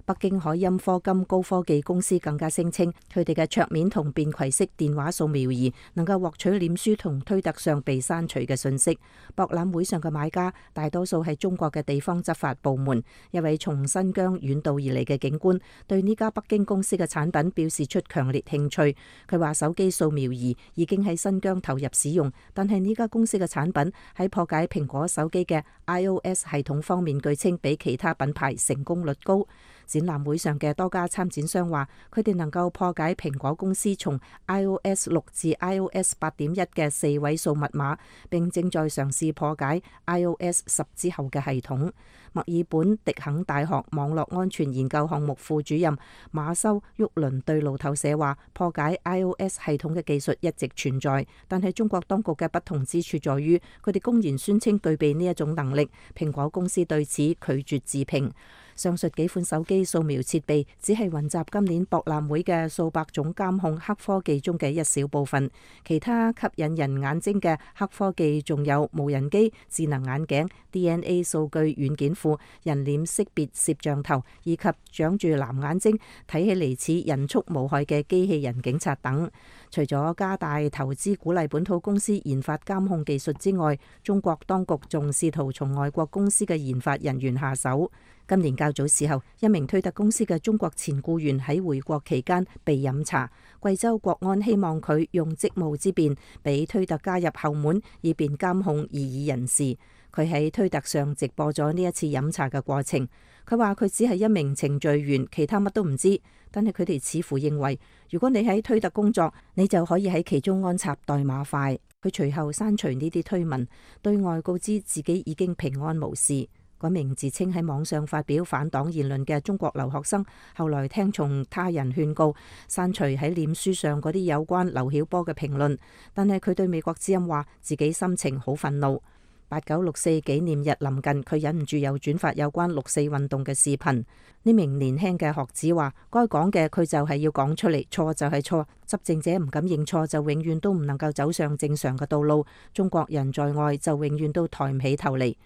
北京海鑫科金高科技公司更加聲稱，佢哋嘅桌面同便攜式電話掃描儀能夠獲取臉書同推特上被刪除嘅信息。博覽會上嘅買家大多數係中國嘅地方執法部門。一位從新疆遠道而嚟嘅警官對呢家北京公司嘅產品表示出強烈興趣。佢話手機掃描儀已經喺新疆投入使用，但係呢家公司嘅產品喺破解蘋果手機嘅 iOS 系統方面，據稱比其他品牌成功率高。展覽會上嘅多家參展商話，佢哋能夠破解蘋果公司從 iOS 6至 iOS 8.1嘅4位數密碼，並正在嘗試破解 iOS 10之後嘅系統。墨爾本迪肯大學網絡安全研究項目副主任馬修沃倫對路透社話，破解 iOS 系統嘅技術一直存在，但係中國當局嘅不同之處在於，佢哋公然宣稱具備呢一種能力，蘋果公司對此拒絕置評。上述幾款手機掃描設備只係雲集今年博覽會嘅數百種監控黑科技中嘅一小部分，其他吸引人眼睛嘅黑科技仲有無人機、智能眼鏡、DNA 數據軟件庫、人臉識別攝像頭，以及長住藍眼睛、睇起嚟似人畜無害嘅機器人警察等。除咗加大投資鼓勵本土公司研發監控技術之外，中國當局仲試圖從外國公司嘅研發人員下手。今年較早時候，一名推特公司嘅中國前僱員喺回國期間被飲茶，貴州國安希望佢用職務之便俾推特加入後門，以便監控異議人士。佢喺推特上直播咗呢一次飲茶嘅過程。佢話佢只係一名程序員，其他乜都唔知。但係佢哋似乎認為，如果你喺推特工作，你就可以喺其中安插代碼塊。佢隨後刪除呢啲推文，對外告知自己已經平安無事。嗰名自稱喺網上發表反黨言論嘅中國留學生，後來聽從他人勸告，刪除喺臉書上嗰啲有關劉曉波嘅評論。但係佢對美國之音話，自己心情好憤怒。8964紀念日臨近，佢忍唔住又轉發有關6.4運動嘅視頻。呢名年輕嘅學子話，該講嘅佢就係要講出嚟，錯就係錯。執政者唔敢認錯，就永遠都唔能夠走上正常嘅道路。中國人在外就永遠都抬唔起頭嚟。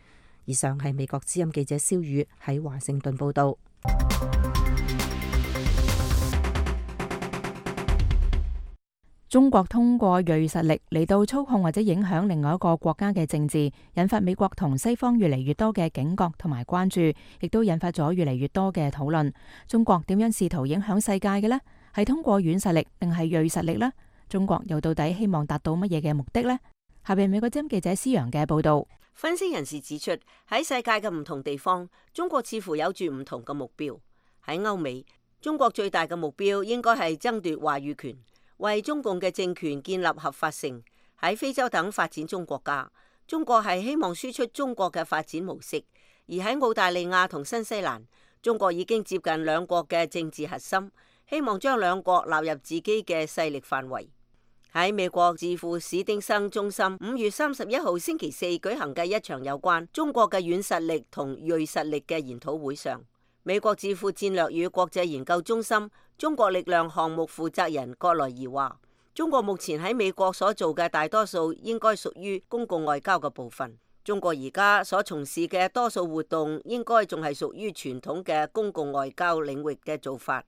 以上係美國之音記者蕭宇喺華盛頓報道。中國通過銳實力嚟到操控或者影響另外一個國家嘅政治，引發美國同西方越嚟越多嘅警覺同埋關注，亦都引發咗越嚟越多嘅討論。中國點樣試圖影響世界嘅呢？係通過軟實力定係銳實力呢？中國又到底希望達到乜嘢嘅目的呢？下邊美國之音記者施陽嘅報道。分析人士指出，喺世界嘅唔同地方，中國似乎有住唔同嘅目標。喺歐美，中國最大嘅目標應該係爭奪話語權，為中共嘅政權建立合法性。喺非洲等發展中國家，中國係希望輸出中國嘅發展模式；而喺澳大利亞同新西蘭，中國已經接近兩國嘅政治核心，希望將兩國納入自己嘅勢力範圍。喺美國智庫史丁生中心5月31號星期四舉行嘅一場有關中國嘅軟實力同銳實力嘅研討會上，美國智庫戰略與國際研究中心中國力量項目負責人葛萊儀話：中國目前喺美國所做嘅大多數應該屬於公共外交嘅部分。中國而家所從事嘅多數活動應該仲係屬於傳統嘅公共外交領域嘅做法。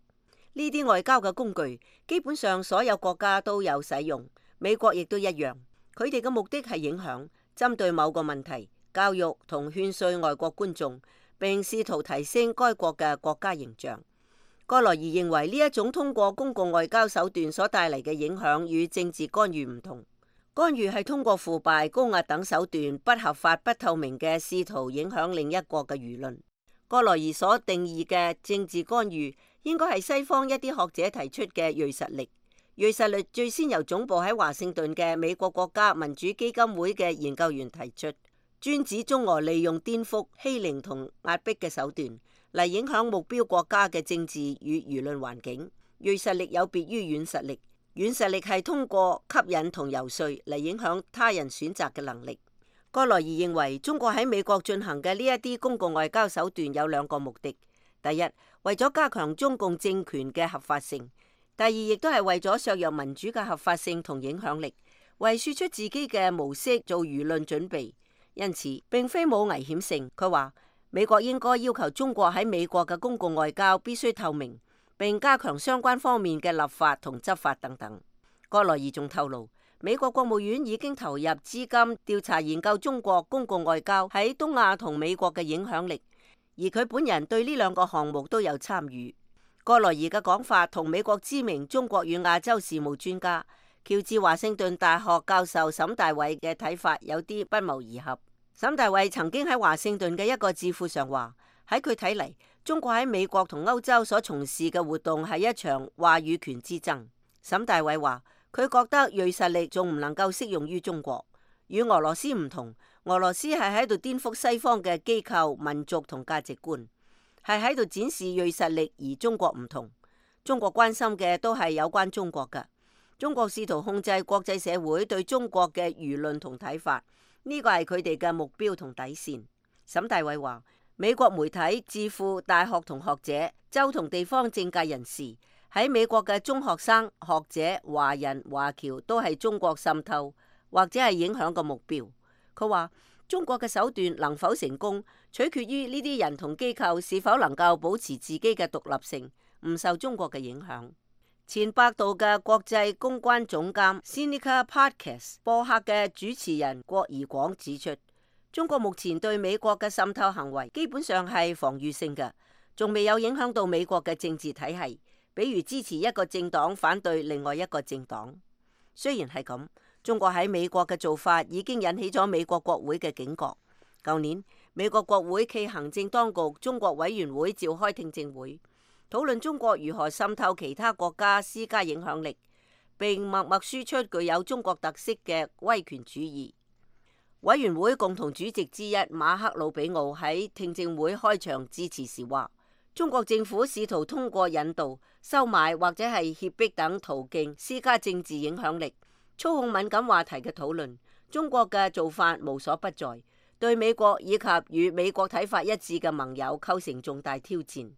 呢啲外交嘅工具基本上所有國家都有使用，美國亦都一樣。佢哋嘅目的係影響、針對某個問題、教育同勸說外國觀眾，並試圖提升該國嘅國家形象。葛萊儀認為呢一種通過公共外交手段所帶嚟嘅影響與政治干預唔同。干預係通過腐敗、高壓等手段，不合法、不透明嘅試圖影響另一國嘅輿論。葛萊儀所定義嘅政治干預應該係西方一啲學者提出嘅銳實力。銳實力最先由總部喺華盛頓嘅美國國家民主基金會嘅研究員提出，專指中俄利用顛覆、欺凌同壓迫嘅手段嚟影響目標國家嘅政治與輿論環境。銳實力有別於軟實力，軟實力係通過吸引同遊說嚟影響他人選擇嘅能力。葛萊儀認為中國喺美國進行嘅呢一啲公共外交手段有兩個目的：第一，為咗加強中共政權嘅合法性；第二，亦都係為咗削弱民主嘅合法性同影響力，為輸出自己嘅模式做輿論準備。因此並非冇危險性。佢話美國應該要求中國喺美國嘅公共外交必須透明，並加強相關方面嘅立法同執法等等。葛萊儀仲透露，美國國務院已經投入資金調查研究中國公共外交喺東亞同美國嘅影響力，而佢本人對呢兩個項目都有參與。葛萊儀嘅講法同美國知名中國與亞洲事務專家喬治華盛頓大學教授沈大偉嘅睇法有啲不謀而合。沈大偉曾經喺華盛頓嘅一個智庫上話，喺佢睇嚟，中國喺美國同歐洲所從事嘅活動係一場話語權之爭。沈大偉話，佢覺得銳實力仲唔能夠適用於中國，與俄羅斯唔同，俄羅斯係喺度顛覆西方嘅機構、民族同價值觀，係喺度展示銳實力，而中國唔同。中國關心嘅都係有關中國嘅，中國試圖控制國際社會對中國嘅輿論同睇法，呢個係佢哋嘅目標同底線。沈大偉話，美國媒體、智庫、大學同學者、州同地方政界人士，喺美國嘅中學生、學者、華人、華僑都係中國滲透或者係影響嘅目標。佢話中國嘅手段能否成功，取決於呢啲人同機構是否能夠保持自己嘅獨立性，唔受中國嘅影響。前百度嘅國際公關總監 Sinica Podcast 播客嘅主持人郭怡廣指出，中國目前對美國嘅滲透行為基本上係防禦性嘅，仲未有影響到美國嘅政治體系，比如支持一個政黨反對另外一個政黨。雖然係咁，中國喺美國嘅做法已經引起咗美國國會嘅警覺。舊年，美國國會暨行政當局中國委員會召開聽證會，討論中國如何滲透其他國家施加影響力，並默默輸出具有中國特色嘅威權主義。委員會共同主席之一馬克魯比奧喺聽證會開場致辭時話，中國政府試圖通過引導、收買或者係脅迫等途徑施加政治影響力，操控敏感話題嘅討論。中國嘅做法無所不在，對美國以及與美國睇法一致嘅盟友構成重大挑戰。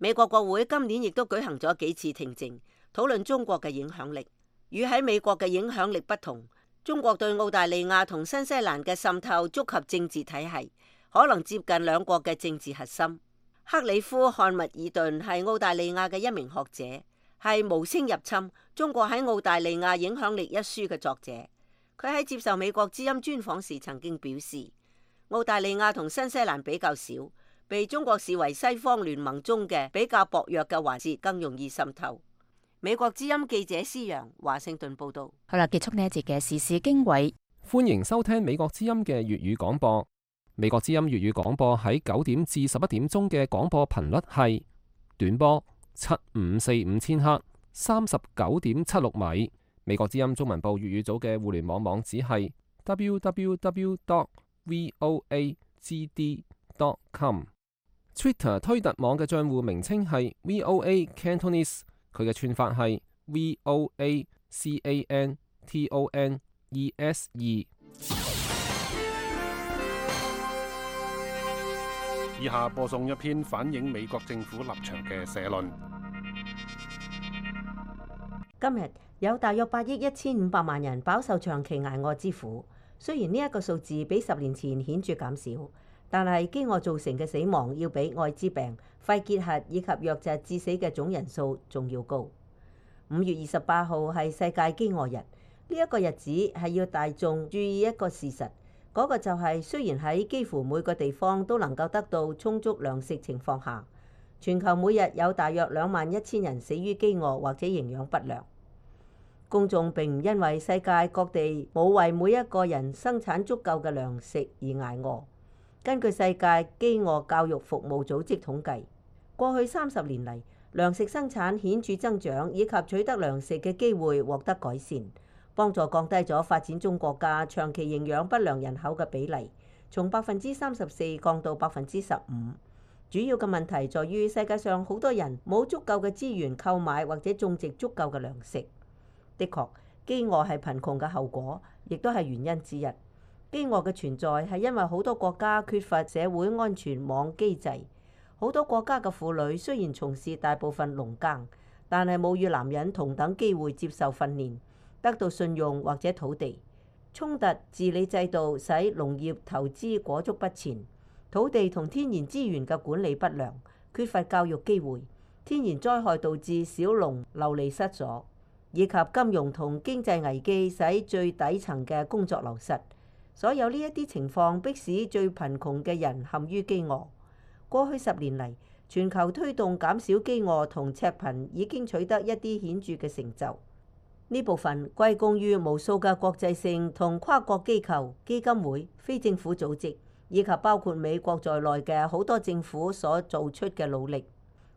美國國會今年亦都舉行咗幾次聽證，討論中國嘅影響力。與喺美國嘅影響力不同，中國對澳大利亞同新西蘭嘅滲透觸及政治體系，可能接近兩國嘅政治核心。克里夫漢密爾頓係澳大利亞嘅一名學者，係《無聲入侵：中國喺澳大利亞影響力》一書嘅作者。佢喺接受美國之音專訪時曾經表示，澳大利亞同新西蘭比較少，被中國視為西方聯盟中嘅比較薄弱嘅環節，更容易滲透。美國之音記者施洋華盛頓報道。好啦，結束呢一節嘅時事經緯。歡迎收聽美國之音嘅粵語廣播。美國之音粵語廣播喺9點至11點鐘嘅廣播頻率係短波7545千赫，39.76米。美國之音中文部粵語組嘅互聯網網址係 www.voagd.com。Twitter 推特網嘅帳戶名稱係 VOA Cantonese， 佢嘅串法係 VOACANTONESE。以下播送一篇反映美國政府立場嘅社論。今日有大約8億1500萬人飽受長期捱餓之苦，雖然呢一個數字比10年前顯著減少，但係飢餓造成嘅死亡要比愛滋病、肺結核以及瘧疾致死嘅總人數仲要高。5月28號係世界飢餓日，呢一個日子係要大眾注意一個事實。嗰個就係雖然喺幾乎每個地方都能夠得到充足糧食情況下，全球每日有大約21000人死於飢餓或者營養不良。公眾並唔因為世界各地冇為每一個人生產足夠嘅糧食而捱餓。根據世界飢餓教育服務組織統計，過去30年嚟，糧食生產顯著增長，以及取得糧食嘅機會獲得改善，幫助降低咗發展中國家長期營養不良人口嘅比例，從34%降到15%。主要嘅問題在於世界上好多人冇足夠嘅資源購買或者種植足夠嘅糧食。的確，飢餓係貧窮嘅後果，亦都係原因之一。飢餓嘅存在係因為好多國家缺乏社會安全網機制。好多國家嘅婦女雖然從事大部分農耕，但係冇與男人同等機會接受訓練，得到信用或者土地。衝突治理制度使農業投資裹足不前，土地同天然資源嘅管理不良，缺乏教育機會，天然災害導致小農流離失所，以及金融同經濟危機使最底層嘅工作流失。所有呢一啲情況迫使最貧窮嘅人陷於飢餓。過去10年嚟，全球推動減少飢餓同赤貧已經取得一啲顯著嘅成就。呢部分歸功於無數嘅國際性同跨國機構、基金會、非政府組織，以及包括美國在內嘅好多政府所做出嘅努力。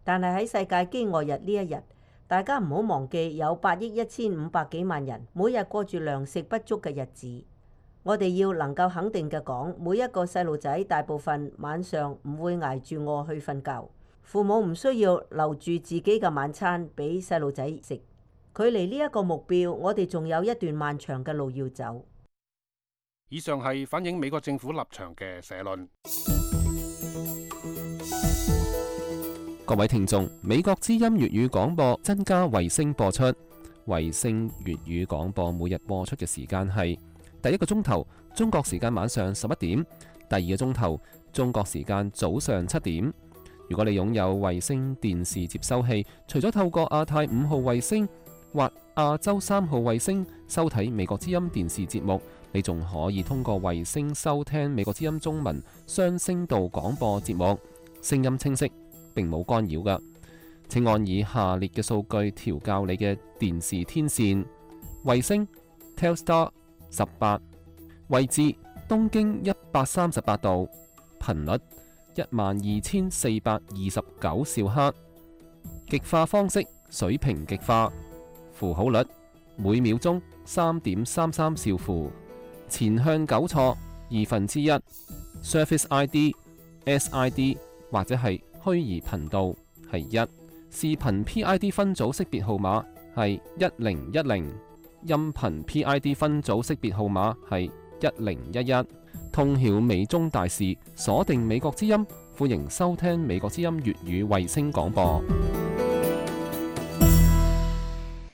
但係喺世界飢餓日呢一日，大家唔好忘記有8億1500幾萬人每日過住糧食不足嘅日子。我哋要能夠肯定嘅講，每一個細路仔大部分晚上唔會捱住餓去瞓覺，父母唔需要留住自己嘅晚餐俾細路仔食。距離呢一個目標，我哋仲有一段漫長嘅路要走。以上係反映美國政府立場嘅社論。各位聽眾，美國之音粵語廣播增加衛星播出，衛星粵語廣播每日播出嘅時間係第一個鐘頭中國時間晚上11點，第二個鐘頭中國時間早上7點。如果你擁有衛星電視接收器，除咗透過亞太5號衛星或亞洲3號衛星收睇美國之音電視節目，你仲可以通過衛星收聽美國之音中文雙聲道廣播節目，聲音清晰，並冇干擾㗎。請按以下列嘅數據調校你嘅電視天線：衛星 Telstar 18，位置東經138度，頻率12429兆赫，極化方式水平極化，符號率每秒鐘3.33兆符，前向糾錯1/2， Surface ID、SID 或者係虛擬頻道係1，視頻 PID 分組識別號碼係1010，音頻 PID 分組識別號碼係1011。通曉美中大事，鎖定美國之音，歡迎收聽美國之音粵語衛星廣播。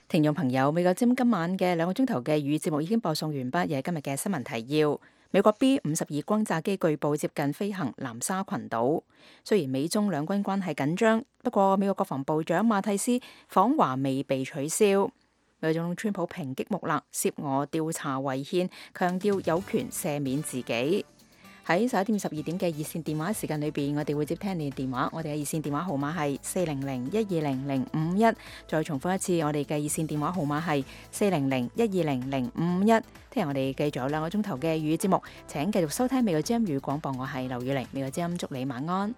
聽眾朋友，美國之音今晚嘅2個鐘頭嘅粵語節目已經播送完畢，又係今日嘅新聞提要。美國 B-52轟炸機據報接近飛行南沙群島。雖然美中兩軍關係緊張，不過美國國防部長馬蒂斯訪華未被取消。美國總統川普抨擊穆勒涉俄調查違憲，強調有權赦免自己。喺11點12點嘅熱線電話時間裏邊，我哋會接聽你嘅電話。我哋嘅熱線電話號碼係400-120-051。再重複一次，我哋嘅熱線電話號碼係400-120-051。聽日我哋繼續有2個鐘頭嘅粵語節目，請繼續收聽美國之音粵語廣播。我係劉宇玲，美國之音祝你晚安。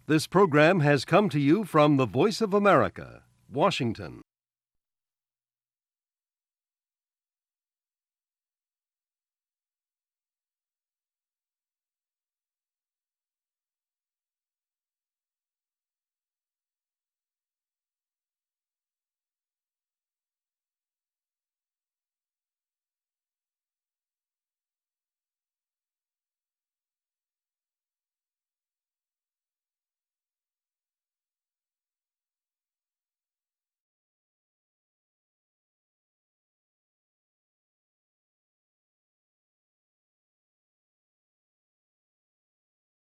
This program has come to you from the Voice of America, Washington.